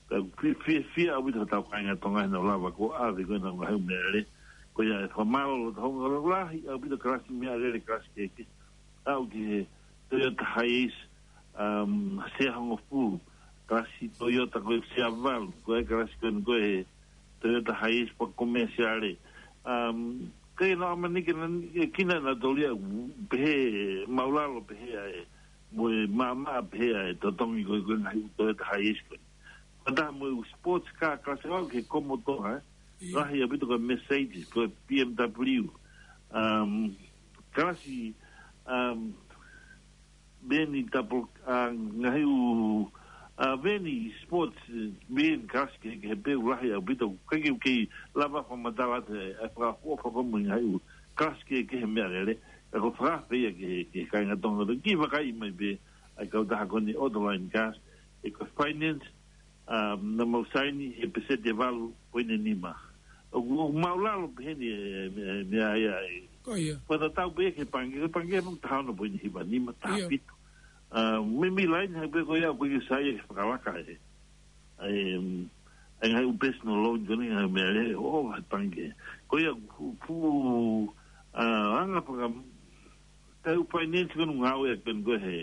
Ka ʻoku fi-, fi-, fiefia ʻaupito hotau kāinga Tonga heʻenau lava ko ē ʻo ʻave ko ē ʻenau ngaahi meʻalele. Ko ia e fakamālō loto houngaʻia lahi ʻaupito kalasi meʻalele, kalasi kehekehe. Aʻu ki he Toyota Hiace, um, sea hongofulu, kalasi Toyota ko ē sea valu, ko e kalasi ko eni ko e Toyota Hiace pea ko e Mercedes. Um, ʻikai ke nau ʻamanaki ke nau, ke kina nautolu ia, pehē māʻulalo pehē ʻa e, mo e maʻamaʻa pehē ʻa e totongi ko ē ko e ngaahi Toyota Hiace ko ē. Fakataha mo e sports car kalasi ʻo aʻu ki he Commodore, ē? ʻIo. Lahi ʻaupito ko e Mercedes, ko e B M W. Um, kalasi, um, veni double, ʻa, ngaahi ʻū, ʻa, veni sports, eh, veni kalasi kehekehe pē ʻoku lahi ʻaupito, ʻikai ke u kei lava fakamatala atu e, e fakaʻofoʻofa ko ē mo e ngaahi ʻū kalasi kehekehe meʻalele, ka ko e fakaafe ia ki he, ki he kāinga Tonga, ke vakai mai pē ʻa e kautaha ko eni Autoline Cars, ʻe ko e finance, um, naʻa mau saini he peseti ʻe valu poini nima. ʻOku, ʻoku māʻulalo pehē ni e, e, e meʻa ia e. Ko ia. Fakatatau pē ki he pangikē, ko e pangikē mo e taha ono poini hiva nima, taha fitu. ʻIo. Uh, meimei laine hake pē ko ia, ʻoku ʻikai ke sai e fakalaka e. ʻA e, um, ʻa e ngaahi ʻū personal loan ko eni ngaahi meʻalele ʻo e pangikē. Ko ia ʻoku, ʻoku, uh, anga faka-, Tau finance ko ē ʻoku ngāueʻaki pē ko ē he,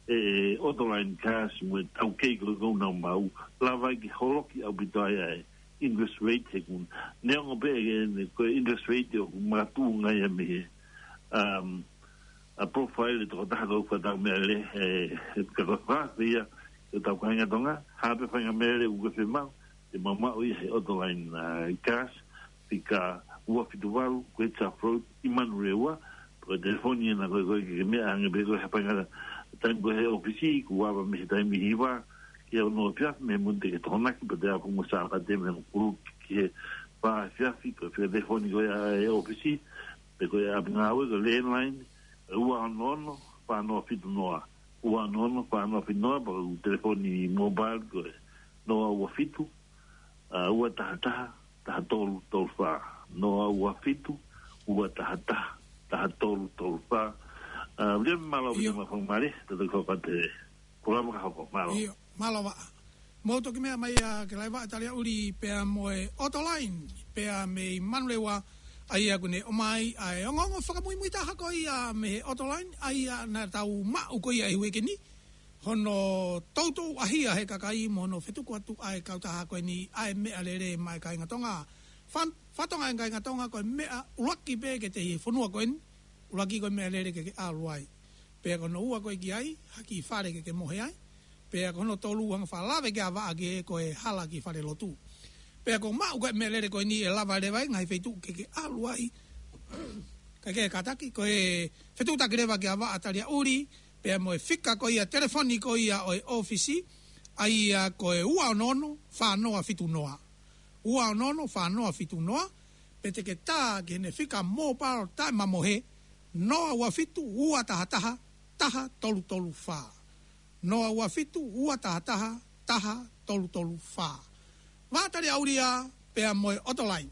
e, Autoline Cars mo e taukei ko ē ʻoku nau maʻu, lava ai ke holoki ʻaupito ai ʻa e interest rate he ʻoku, neongo pē ʻe, ʻe, ko e interest rate ʻoku makatuʻunga ia mei he, um, ʻa e profile ʻo e tokotaha ʻoku fakatau meʻalele, e, e, ka ko e fakaafe ia, ki hotau kāinga Tonga, ha pē faʻahinga meʻalele ʻoku ke fiemaʻu, te mau maʻu ia he Autoline, uh, Cars, fika ua fitu valu, Great South Road, ʻi Manurewa. Ko e telefoni ena ko ē, ko e ke meʻa hangē pē ko e hā e faʻahinga taimi ko ē he ʻōfisi, kuo ava mei he taimi hiva ki he ono efiafi, mei he Mōnite ki he Tokonaki, pea te apu mo Sāpate mei he hongofulu ki he fā efiafi, ko e fika telefoni ko ia ʻa e ʻōfisi, pe ko e ʻapi ngāue, ko e landline, ua ono ono, fā noa fitu noa. Ua ono ono, fā noa fitu noa, pea ko e telefoni mobile ko e noa ua fitu, ʻa, ua taha taha, taha tolu tolu fā. Noa ua fitu, ua taha taha, taha tolu tolu fā. ʻA, William, mālō, ʻio, William, mālō, mālō, tō tō kau pate. Polokalama ka hoko, mālō. ʻIo, mālō ā. Mou toki meʻa mai ā ke laiva ʻa Taliaʻuli pea mo e Autoline, pea mei Manurewa, ʻa ia ʻoku ne ʻomai ʻa e ongoongo fakamuimui taha ko ia mei he Autoline, ʻa ia naʻa tau maʻu ko ia ʻi he uike ni, hono toutou ʻahia he kakai mo hono fetuku atu ʻa e kautaha ko eni ʻa e meʻalele maʻa e kāinga Tonga. Fan-, fatongia ʻa e kāinga Tonga ko e meʻa ʻuluaki pē ke teʻi he fonua ko eni, ʻuluaki ko e meʻalele ke ke ʻalu ai. Pea ko hono ua ko e ki ai ha kiʻi fale ke ke mohe ai. Pea ko hono tolu hanga ʻo fakalave ki ha vaʻa ke ko e hala ki he falelotu. Pea ko e maʻu ko e meʻalele ko eni ʻe lava leva ʻi he ngaahi feituʻu ke ke ʻalu ai. Kae kehe kātaki, ko e fetuʻutaki leva ki ha vaʻa Taliaʻuli, pea mo e fika ko ia telefoni ko ia ʻo e ʻōfisi, ʻa ia ko e ua ono ono, fā noa fitu noa. Ua ono ono, fā noa fitu noa, pe te ke tā ki heʻene fika mobile taʻemamohe, noa ua fitu, ua taha taha, taha tolu tolu fā. Noa ua fitu, ua taha taha, taha tolu tolu fā. Vaʻa Taliaʻuli ā, pea mo e Autoline.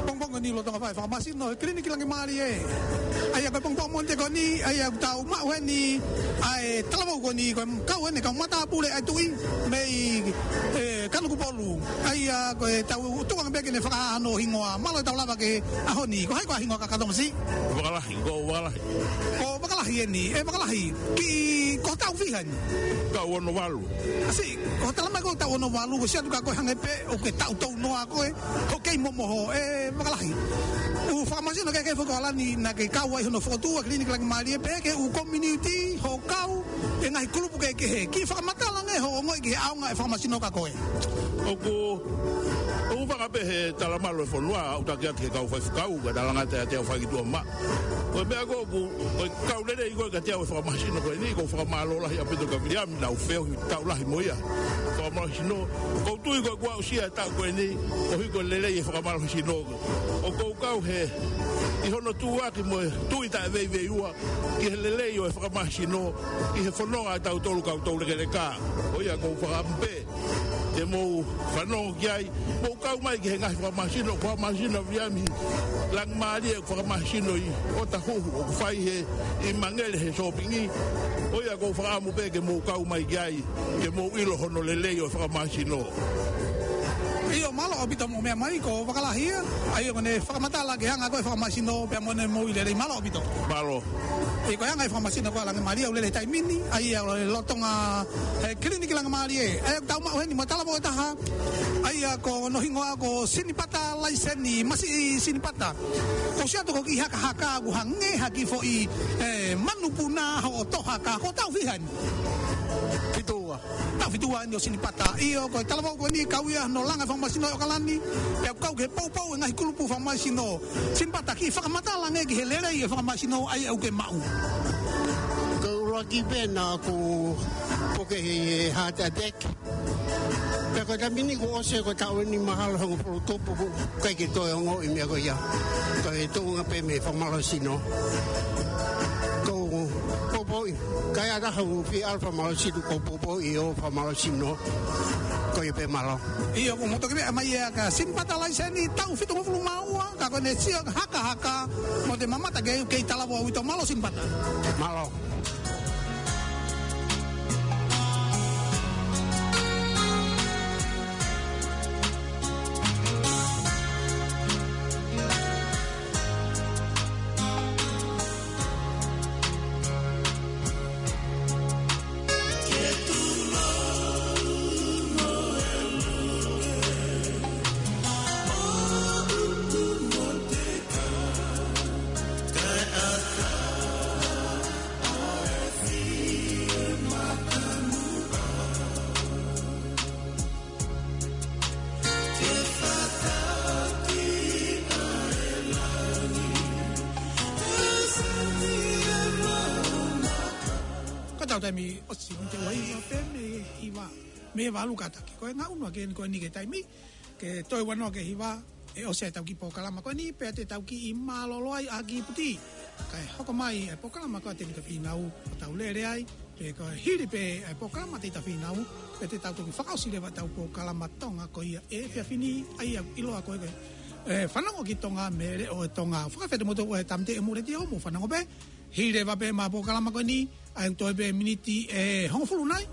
Pongipongi ni lolotonga fai fakamasino he Kiliniki Langi Mālie. ʻA ia ko e pongipongi Mōnite ko eni, ʻa ia ʻoku tau maʻu heni ʻa e talavou ko eni, ko e kau eni, kau matāpule ʻa e tuʻi mei, ē, Kanokupolu. ʻA ia ko e tau tukuange pē ke ne fakahā hono hingoa. Mālō e tau lava ki he ʻaho ni. Ko hai koā ho hingoa kakato, masiʻi? Vakalahi, ko Vakalahi. Ko Vakalahi eni, ē Vakalahi. Kiʻi, ko e taʻu fiha eni? Taʻu ono valu. Masiʻi, ko e talamai ko e taʻu ono valu, ko e siʻi atu ka ko e hangē pē ʻoku ke taʻu tolu noa koe, ʻoku ke kei momoho, ē Vakalahi. ʻOku fakamasino kehekehe foki ʻa Lani naʻa ke kau ai hono fokotuʻu ʻa e Kiliniki Langi Mālie, pehē ki he ʻū community, hoʻo kau ʻi he ngaahi kulupu kehekehe. Kiʻi fakamatala ange hoʻo ongoʻi ki he ʻaonga ʻo e fakamasino kia koe. ʻOku, ʻoku fakapehe talamalu e fonua, ʻo taki atu ki he kau faifekau, ka talangata ʻiate au fai ki tuʻa maʻa. Ko e meʻa ko ē ʻoku, ko e kau lelei ko ē kiate au e fakamasino ko eni, ʻoku ou fakamālō lahi ʻaupito kia Viliami, naʻa ku feohi taʻu lahi mo ia. Fakamālō sino, ʻoku ou tui ko ē kuo aʻusia e taʻu ko eni, koeʻuhi ko e lelei e fakamālō sino. ʻOku ou kau he, ʻi hono tuʻuaki mo e tui taʻeveiveiua, ki he lelei ʻo e fakamasino, ʻi he fononga ʻa tautolu kau toulekeleka. Ko ia ʻoku ou fakaʻamu pē ke mou fanongo ki ai, mou kau mai ki he ngaahi fakamasino, fakamasino ʻa Viliami Langi Mālie, fakamasino ʻi ʻOtahuhu, ʻoku fai he ʻi Mangele he sōpingi. Ko ia ʻoku ou fakaʻamu pē ke mou kau mai ki ai, ke mou ʻilo hono lelei ʻo e fakamasino. ʻIo, mālō ʻaupito mo e meʻa mai, ko Vakalahi ia, ʻa ia ʻoku ne fakamatala ki he anga ko ē e fakamasino, pea mo ʻene moʻui lelei, mālō ʻaupito. Mālō. ʻIo, ko e anga e fakamasino ko ē ʻa Langi Mālie, ʻoku lele he taimi ni, ʻa ia ʻoku lolotonga he Kiliniki Langi Mālie. ʻA ia ʻoku tau maʻu heni mo e talavou ʻe taha, ʻa ia ko hono hingoa ko Sinipata Laiseni, masiʻi Sinipata. Ko e siʻi atu ko e kiʻi hakahaka ʻoku hangē ha kiʻi foʻi, ē, manupuna hoʻo tohaka, ko e taʻu fiha eni? Fitu ua. Taʻu fitu ua eni ʻo Sinipata. ʻIo, ko e talavou ko eni kau ia hono langa e fakamasino ʻi ʻAokalani. Pea kau ki he poupou e ngaahi kulupu fakamasino. Sinipata, kiʻi fakamatala ange ki he lelei e fakamasino ʻa ia ʻoku ke maʻu. Ko e ʻuluaki pē naʻa ku puke he heart attack. Pea ko e taimi ni kuo ʻosi ko e taʻu ʻe nimangofulu tupu ʻoku ʻikai ke toe ongoʻi e meʻa ko ia. Ko e tuʻunga pē mei he fakamālō sino. Ko e poupouʻi. Kae ʻatā ha ufi alfa mālō situ ko popo ʻi ʻo fa mālō sino. Ko ia pē mālō. ʻIo, ko moto ke meʻa mai ia ka Simpata laiseni taʻu fitungofulu mā ua, ka ko ʻene sio hakahaka, mo te mamata ke, ke i talavo au ito mālō Simpata. Mālō. Ko ʻetau taimi ʻosi, mei he ua hiva pē mei he hiva, mei he valu kātaki. Ko e ngaʻunu ʻa Keni ko eni ki he taimi, ke toe ua noa ki he hiva, ʻe ʻosi ʻetau kiʻi polokalama ko eni, pea te tau kiʻi mālōlō ai ʻa kiʻi puti. Kae hoko mai e polokalama ko ē ʻa Tēvita Fīnau, ʻo tau lele ai, pea ko e hili pē e polokalama ʻa Tēvita Fīnau, pea te tau toki fakaʻosi leva ʻetau polokalama Tonga ko ia ʻi he efiafi ni, ʻa ia ʻoku ʻiloa ko e, e, fanongo ki Tonga mei he leʻo ʻo Tonga. Fakafetaʻi mo tō e tāmateʻi ʻo e Mūleti ʻo mo fanongo pē, hili leva pē ʻemau polokalama ko eni, ʻa ia ʻoku toe pē miniti ʻe hongofulu nai,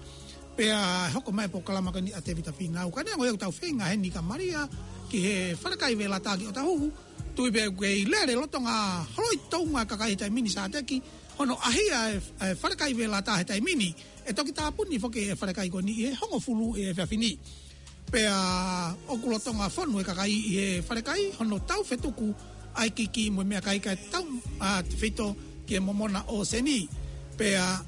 pea hoko mai e polokalama ko eni ʻa Tēvita Fīnau. Ka neongo ia ʻoku tau feinga heni kia Malia, ki he falekai Velata ki ʻOtahuhu, tui pē ʻoku kei lele lolotonga holoi tounga e kakai he taimi ni Sāteki, hono ʻahia e, e falekai Velata he taimi ni, ʻe toki tāpuni foki e falekai ko eni ʻi he hongofulu ʻi he efiafi ni. Pea ʻoku lolotonga fonu e kakai ʻi he falekai, hono tau fetuku ʻa e kiki mo e meʻakai kae tau, ʻa, tefito ki he momona ʻōseni. Pea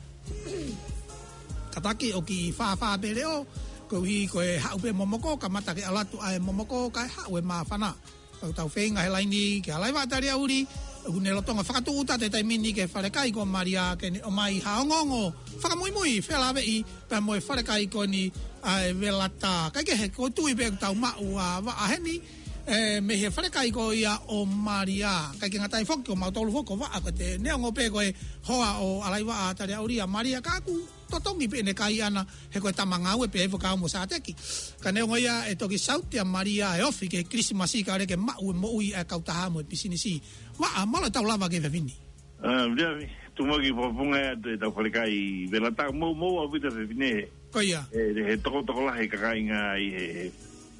kātaki ʻoku kiʻi fāfā pē leʻo, koeʻuhi ko e haʻu pē momoko, kamata ke ʻalu atu ʻa e momoko, kae haʻu e māfana. ʻOku tau feinga he laini kia Laiva Taliauli, ʻoku ne lolotonga fakatūʻuta he taimi ni ki he falekai ko Malia ke ne ʻomai ha ongoongo fakamuimui felāveʻi pea mo e falekai ko eni ʻa e Velata. Kae kehe, ʻoku ou tui pē ʻoku tau maʻu ʻa Vaʻa heni, ē, mei he falekai ko ia ʻo Malia. Kae ʻikai ke ngata ai foki ko mautolu foki ko Vaʻa, ko ʻete neongo pē ko e hoa ʻo Laiva Taliauli ʻa Malia, ka ʻoku totongi pē ʻene kai ʻana, he ko e tama ngāue pē ʻa e fakaʻau mo Sāteki. Ka neongo ia, ʻe toki sauti ʻa Malia e ofi ki he Kilisimasi kae ʻoua ke maʻu e moʻui ʻa e kautaha mo e pisinisi. Vaʻa, mālō e tau lava ki he efiafi ni. ʻA, Viliami, tuku muʻa ke u fakafofongaʻi atu ʻetau falekai Velata, mou, mou ʻaupito fefine. Ko ia. ʻE, he tokotokolahi e kāinga ʻi he,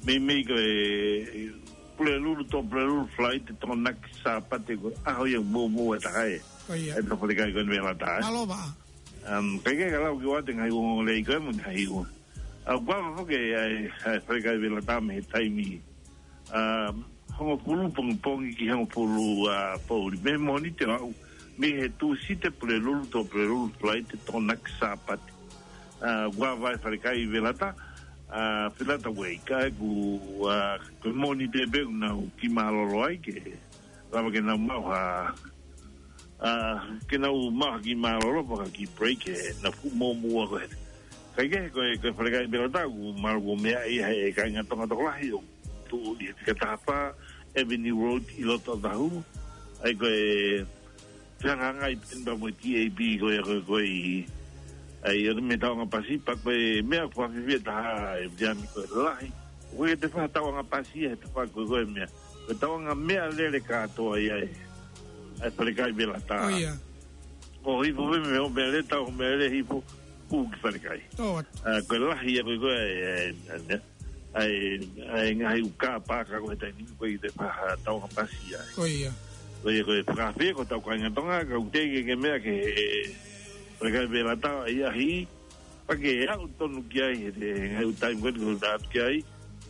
meimei ko e, Pulelulu, tō Pulelulu, Falaite, Tokonaki, Sāpate, ko e ʻaho ia mou, mou e taha ē. Ko ia. ʻEtau falekai ko eni Velata, ē. Mālō Vaʻa. Um, kae kehe ka lau ki ʻoatu e ngaahi ongoongo lelei ko ē mo e ngaahi ua. ʻA, ʻoku ava foki ʻa e, ʻa e falekai Velata mei he taimi, um, hongofulu pongipongi ki he hongofulu, ʻa, poʻuli. Mei he Mōnite ʻo aʻu, mei he Tūsite Pulelulu, tō Pulelulu, Falaite, Tokonaki, Sāpate. ʻA, ʻoku ava e falekai Velata, ʻa, Velata Way, ka ʻoku, ʻa, ko e Mōnite pē ʻoku nau kiʻi mālōlō ai ke lava ke nau maʻu ha, ʻa, ke nau maʻu ha kiʻi mālōlō pe ha kiʻi break he naʻa ku mōmō ko ē. Kae kehe ko e, ko e falekai Velata ʻoku mālōlō meʻa ia he kāinga Tonga tokolahi ʻoku tuʻu ʻi he fika taha fā Avenue Road ʻi loto Ōtāhuhu. ʻA ia ko e fehangahangai pē eni pea mo e T A B ko ia ko e, ko e ʻi, ʻa ia ʻoku mei he tauʻanga pasi pea ko e meʻa ʻoku fakafiefia taha ʻe Viliami ko e lahi. ʻOku ʻikai ke te fai ha tauʻanga pasi ia he tafaʻaki ko e, ko e meʻa. Ko e tauʻanga meʻalele kātoa ia ʻa e, ʻa e falekai Velata. Ko ia. ʻO hifo pē mei hoʻo meʻalele, tau hoʻo meʻalele hifo, hū ki falekai. ʻA, ko e lahi ia ko e, ko e, ʻa e, ʻa e, ʻa e ngaahi ʻū kā pāka ko e taimi ni ʻoku ʻikai ke te fai ha tauʻanga pasi ia. Ko ia. Ko ia ko e fakafie ko e tau kāinga Tonga, ka ʻoku teʻeki ke meʻa ke he, falekai Velata ʻi ʻahi, pea ke aʻu tonu ki ai he, he ngaahi ʻū taimi ko eni ko e atu ki ai.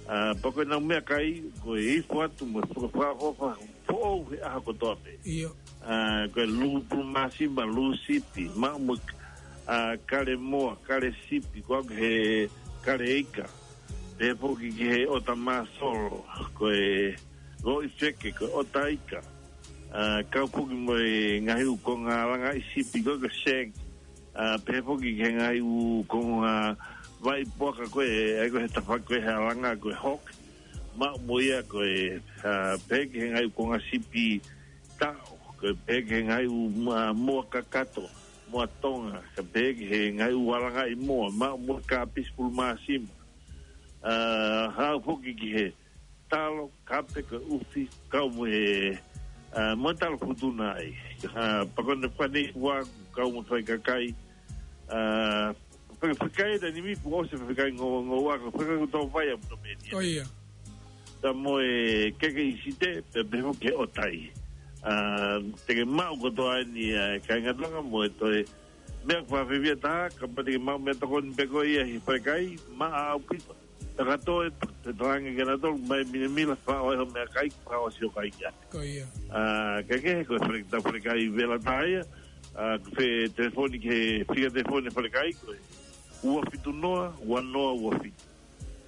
ʻA, pea ko ʻenau meʻakai, ko e hifo atu mo e faka-, faka-, faka-, foʻou he ʻaho kotoa pē. ʻIo. ʻA, ko e lū pulu māsima, lū sipi, maʻu mo e, ʻa, kale moa, kale sipi, ko ʻeku he kale ika. Pehē foki ki he ʻota māsolo, ko e loʻi feke, ko e ʻota ika. ʻA, kau foki mo e ngaahi ʻū konga langaʻi sipi ko e, ko e shank. ʻA, pehē foki ki he ngaahi ʻū konga vai puaka ko e, ʻa ia ko e he tafaʻaki ko e he langa ko e hook. Maʻu mo ia ko e, ʻa, pehē ki he ngaahi ʻū konga sipi taʻo, ko e pehē ki he ngaahi ʻū ma-, moa kakato. Moa Tonga, ka pehē ki he ngaahi ʻū alangaʻi moa, maʻu mo e kāpisi pulu māsima. ʻA, haʻu foki ki he talo, kape ko e ʻufi, kau mo e, ʻa, mo e talo futuna ai. ʻA, pea ko ʻene fānau ua, kau mo e faʻahi kakai. ʻA, fai, fai kakai ʻa e taimi ni kuo ʻosi fai kakai ngou-, ngoua, ko e fai kakai kuo tō vai ʻa Puta Menia. ʻIo. Pea mo e keke ʻi Site, pea pehē foki ki he ʻOtai. ʻA, te ke maʻu kotoa eni ʻa e kāinga Tonga mo e toe meʻa fakafiefia taha, kapau te ke maʻu meʻatokoni pē koe ia he falekai, maʻa ʻaupito. Pea ka toe, te talaange kia nautolu, mai milemila, fakaʻosi hoʻo meʻakai, fakaʻosi hoʻo kai ia. Ko ia. ʻA, ka ke, ko e fale-, ʻetau falekai vela tā ia, ʻa, ko e telefoni ki he fika telefoni falekai, ko e ua fitu noa, ua noa ua fitu.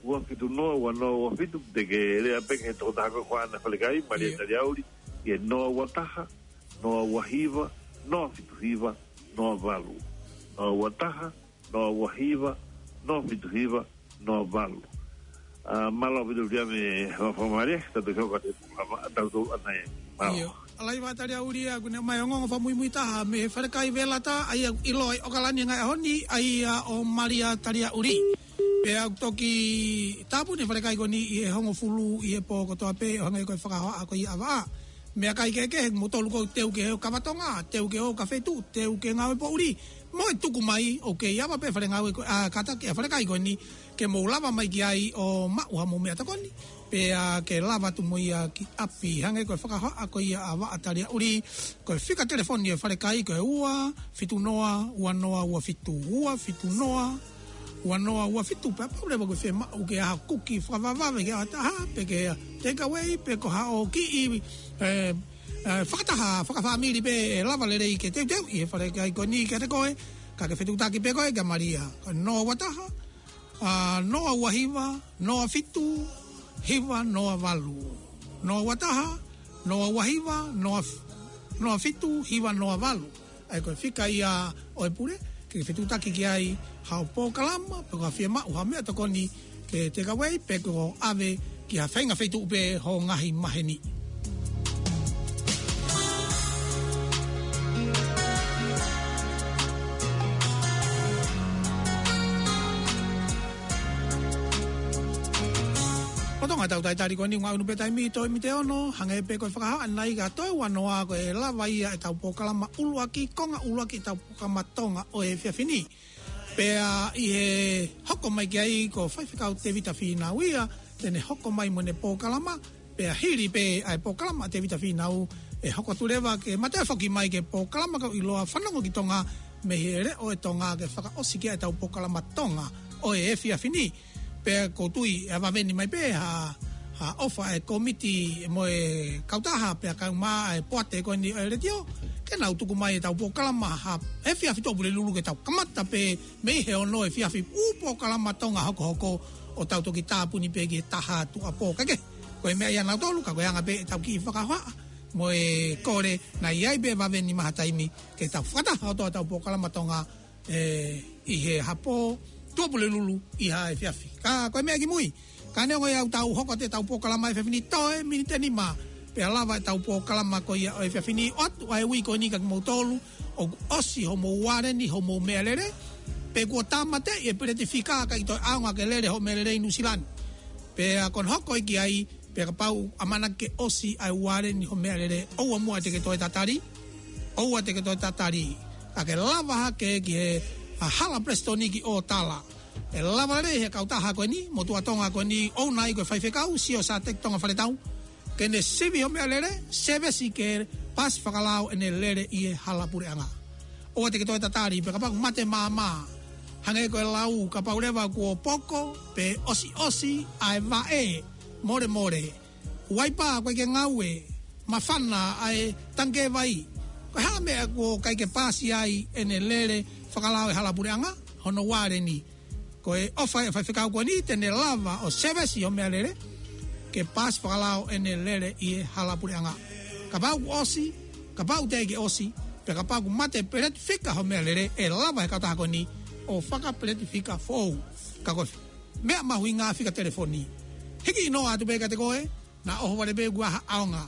Ua fitu noa, ua noa ua fitu, te ke lea pē ki he tokotaha ko ē ʻoku ʻi he falekai, Malia Io. Taliauli, ʻi he noa ua taha, noa ua hiva, noa fitu hiva, noa valu. Noa ua taha, noa ua hiva, noa fitu hiva, noa valu. ʻA, mālō ʻaupito Viliami, fakamālō, tau toe hoko atu he polokalama ʻatautolu ʻanai. Mālō. ʻIo. ʻAlā, Malia Taliauli, ʻoku ne ʻomai ongoongo fakamuimui taha mei he falekai vela tā, ʻa ia ʻoku ʻiloa ʻi ʻOkalani he ngaahi ʻaho ni, ʻa ia ʻo Malia Taliauli. Pea ʻoku toki tāpuni e falekai ko eni ʻi he hongofulu ʻi he pō kotoa pē, ʻo hangē ko e fakahohaʻa ko ia ʻa Vaʻa. Meʻakai kehekehe, mou tolu ʻoku teu ke ō ki Vavatonga, teu ke ō ki he feituʻu, teu ke ngāue poʻuli. Mou tuku mai, ʻoku kei ava pē fale ngāue ko, ʻa, kātaki ʻa e falekai ko eni, ke mou lava mai ki ai ʻo maʻu haʻamou meʻatokoni, pea ke lava atu mo ia ki ʻapi, hangē ko e fakahohaʻa ko ia ʻa Vaʻa Taliauli, ko e fika telefoni ʻo e falekai ko e ua fitu noa, ua noa ua fitu, ua fitu noa, ua noa ua fitu, pea kapau leva ʻoku ke fiemaʻu ke ʻai ha kuki fakavavevave ki ha taha, pe ke take away, pe ko haʻo kiʻi, ē, ē, fakataha, fakafāmili pē ʻe lava lelei ke teuteuʻi he falekai ko eni kiate koe, ka ke fetuʻutaki pē koe kia Malia. Ko e noa ua taha, ʻa, noa ua hiva, noa fitu, hiva noa valu. Noa ua taha, noa ua hiva, noa f-, noa fitu, hiva noa valu. ʻA ia ko e fika ia ʻo e pule, ke fetuʻutaki ki ai haʻo polokalama, pe ko haʻo fiemaʻu ha meʻatokoni ke take away, pe ko ʻave ki ha faʻahinga feituʻu pē hoʻo ngaahi maheni. Lolotonga ʻetau talitali ko eni, ʻoku ngaʻunu pē taimi, toe miniti ʻe ono, hangē pē ko e fakahohaʻa ʻanai ka toe ua noa ko e lava ia ʻetau polokalama ʻuluaki, konga ʻuluaki ʻetau polokalama Tonga ʻo e efiafi ni. Pea ʻi he hoko mai ki ai ko Faifekau Tevita Fīnau ia, te ne hoko mai mo ʻene polokalama, pea hili pē ʻa e polokalama ʻa Tevita Fīnau ʻe hoko atu leva ke ma toe foki mai ki he polokalama ʻoku ʻiloa Fanongo ki Tonga mei he Leʻo ʻo Tonga ke fakaʻosi ki ai ʻetau polokalama Tonga ʻo e efiafi ni. Pea ʻoku ou tui ʻe vave ni mai pē ha, ha ʻofa ʻa e kōmiti mo e kautaha pea kau mai ʻa e poate ko eni ʻo e letiō, ke nau tuku mai ʻetau polokalama ha efiafi Tuʻapulelulu ke tau kamata pē mei he ono efiafi ʻū polokalama Tonga hokohoko ʻo tau toki tāpuni pē ki he taha Tuʻapō. Ka ke, ko e meʻa ia ʻanautolu, ka ko e anga pē ʻetau kiʻi fakahohaʻa mo e kole, naʻe ʻi ai pē vave ni mai ha taimi ke tau fakataha ʻo toʻo ʻetau polokalama Tonga, ē, ʻi he hapō Tuʻapulelulu ʻi ha efiafi. Ka ko e meʻa kimui, ka neongo ia ʻoku tau hoko atu ʻetau polokalama efiafi ni toe miniti ʻe nima, pea lava ʻetau polokalama ko ia ʻo e efiafi ni, ʻoatu ʻa e uike ko eni kia kimoutolu ʻoku ʻosi hoʻomou uale ni, hoʻomou meʻalele, pe kuo tāmateʻi e peleti fika kae ʻikai toe ʻaonga ke lele hoʻo meʻalele ʻi Nuʻusila ni. Pea ko hono hoko ia ki ai, pea kapau ʻamanaki ke ʻosi ʻa e uale ni hoʻo meʻalele, ʻoua muʻa te ke toe tatali, ʻoua te ke toe tatali. Ka ke lava hake ki he, ʻa, hala Palesiteni ki ʻOtala. ʻE lava lelei he kautaha ko eni, motuʻa Tonga ko eni, ʻoku nau ʻi ai ko e faifekau, Siosiate Tonga Faletau, ke ne sivi hoʻo meʻalele, sēvesi ke paasi fakalao ʻene lele ʻi he hala puleʻanga. ʻOua te ke toe tatali, pea kapau ʻoku mate māmā, hangē ko e lau, kapau leva kuo poko pe ʻosiʻosi ʻa e vaʻe, molemole, uaipa ʻoku ʻikai ke ngāue, māfana ʻa e tangikē vai, ko e hā e meʻa ʻoku ʻikai ke paasi ai ʻene lele fakalao he hala puleʻanga, hono uale ni. Ko e ʻofa ʻa e faifekau ko eni, te ne lava ʻo sēvesi hoʻo meʻalele ke paasi fakalao ʻene lele ʻi he hala puleʻanga. Kapau kuo ʻosi, kapau teʻeki ke ʻosi, pea kapau kuo mate peleti fika hoʻo meʻalele, ʻe lava he kautaha ko eni ʻo fakapeleti fika foʻou. Ka ko e meʻa mahuʻinga fika telefoni. Hiki hinoa atu pē kiate koe, naʻa ʻohovale pē kuo ʻi ai ha ʻaonga.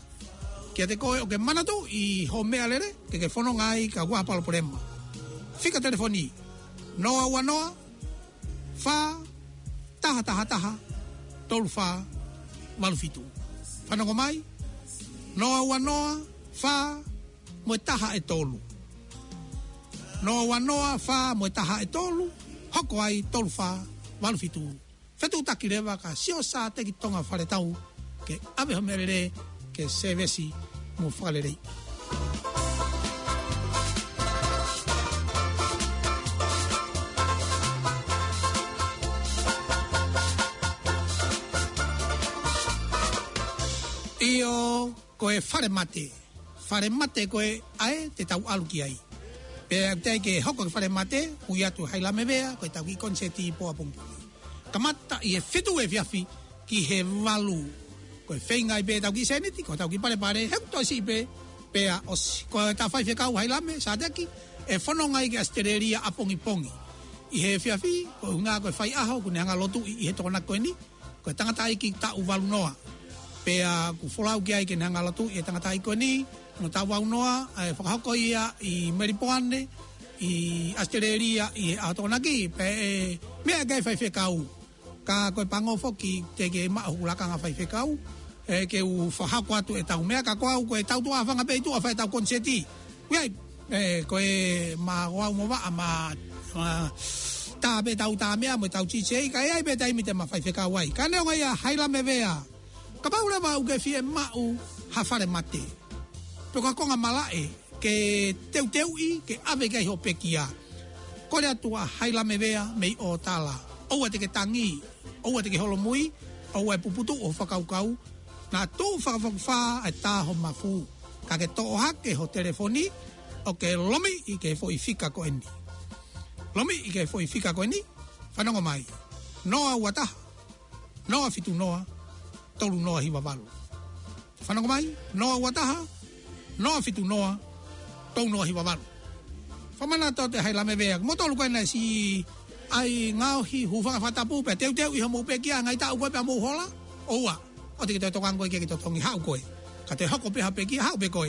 Kiate koe ʻoku ke manatuʻi hoʻo meʻalele, ke ke fononga ai ka kuo ʻi ai ha palopalema. Fika telefoni, noa ua noa, fā, taha taha taha, tolu fā, valu fitu. Fanongo mai, noa ua noa, fā, mo e taha ʻe tolu. Noa ua noa, fā, mo e taha ʻe tolu, hoko ai tolu fā, valu fitu. Fetuʻutaki leva ka sio Sateki Tonga Faletau, ke ʻave ho meʻalele, ke sēvesi mo fakalelei. ʻIo, ko e falemate. Falemate ko ē ʻa ē te tau ʻalu ki ai. Pea ʻoku teʻeki ke hoko ki falemate, ui atu Hailame Vea, ko e tau kiʻi koniseti pō ʻapongipongi. Kamata ʻi he fitu efiafi ki he valu. Ko e feinga ai pē tau kiʻi sēniti, ko tau kiʻi palepale, he ʻoku toe siʻi pē, pea ʻosi. Ko e tau faifekau Hailame, Sateki, ʻe fononga ai ki ʻAositelēlia ʻapongipongi. ʻI he efiafi, ko e ʻuhinga ko e faiʻaho, ʻoku ne hanga lotuʻi ʻi he Tokonaki ko eni, ko e tangataʻeiki taʻu valu noa. Pea ʻoku folau ki ai ke ne hanga lotuʻi e tangataʻeiki ko eni, mo taʻu valu noa, ʻe fakahoko ia ʻi Melipoane, ʻi ʻAositelēlia, ʻi he ʻaho Tokonaki, pea ʻe meʻa ki ai faifekau. Ka ko e pango foki teʻeki ke maʻu hoku lakanga faifekau, ʻe ke u fakahoko atu e tau meʻa ka ko au ko e tau tuʻa fanga pē ʻi tuʻa fai e tau koniseti. Ui ai, ʻe, ko e ma ko au mo vaʻa ma, ma tā pē tau tā meʻa mo tau D J, ka ʻe ʻi ai pē taimi te ma faifekau ai. Ka neongo ia Hailame Vea, kapau leva ʻoku ke fie maʻu ha falemate, pe ko ha konga malaʻe, ke teuteuʻi, ke ʻave ki ai ho pekia. Kole atu ʻa Hailame Vea mei ʻOtala. ʻOua te ke tangi, ʻoua te ke holomui, ʻoua ʻe puputuʻu ho fakakaukau, naʻa tuʻu fakafokifā ʻa e tā ho mafu. Ka ke toʻo hake ho telefoni, ʻo ke lomiʻi ki he foʻi fika ko eni. Lomiʻi ki he foʻi fika ko eni, fanongo mai. Noa ua taha, noa fitu noa, tolu noa hiva valu. Fanongo mai, noa ua taha, noa fitu noa, tolu noa hiva valu. Fakamanatu atu ʻe Hailame Vea, mo tolu ko ena si ai ngaohi hūfanga fakatapu pea teuteuʻi homou pekia, ngaahi taʻu ko ē pea mou hola, ʻoua, ʻoua te ke toe tokangaʻi koe ke ke totongi, haʻu koe. Ka toe hoko pē ha pekia, haʻu pē koe.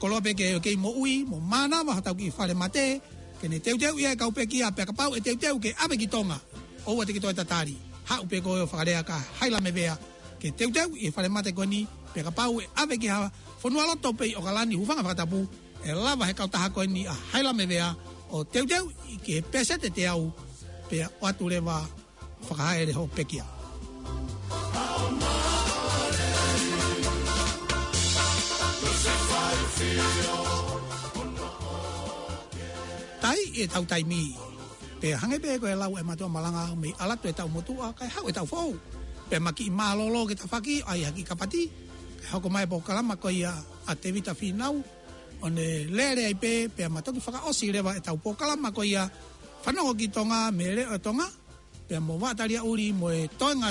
Koloa pē ke, ke moʻui, mo mānava ha tau kiʻi falemate, ke ne teuteuʻi e kau pekia, pea kapau ʻe teuteu ke ʻave ki Tonga. ʻOua te ke toe tatali. Haʻu pē koe ʻo fakalea kia Hailame Vea, ke teuteuʻi e falemate ko eni, pea kapau ʻe ʻave ki ha fonualoto pē ʻi ʻOkalani, hūfanga fakatapu, ʻe lava he kautaha ko eni ʻa Hailame Vea, ʻo teuteuʻi ki he peseti ʻe teau, pea ʻoatu leva fakahaele ho pekia. Taʻi e tau taimi, pea hangē pē ko e lau e mātuʻa malanga, mei ʻalu atu e tau motuʻa, kae haʻu e tau foʻou. Pea ma kiʻi mālōlō ke tafaki, ʻai ha kiʻi kapati, kae hoko mai e polokalama ko ia ʻa Tevita Fīnau, ʻo ne lele ai pē, pea ma toki fakaʻosi leva e tau polokalama ko ia, Fanongo ki Tonga, mei he Leʻo ʻo Tonga, pea mo Vaʻa Taliaʻuli mo e toenga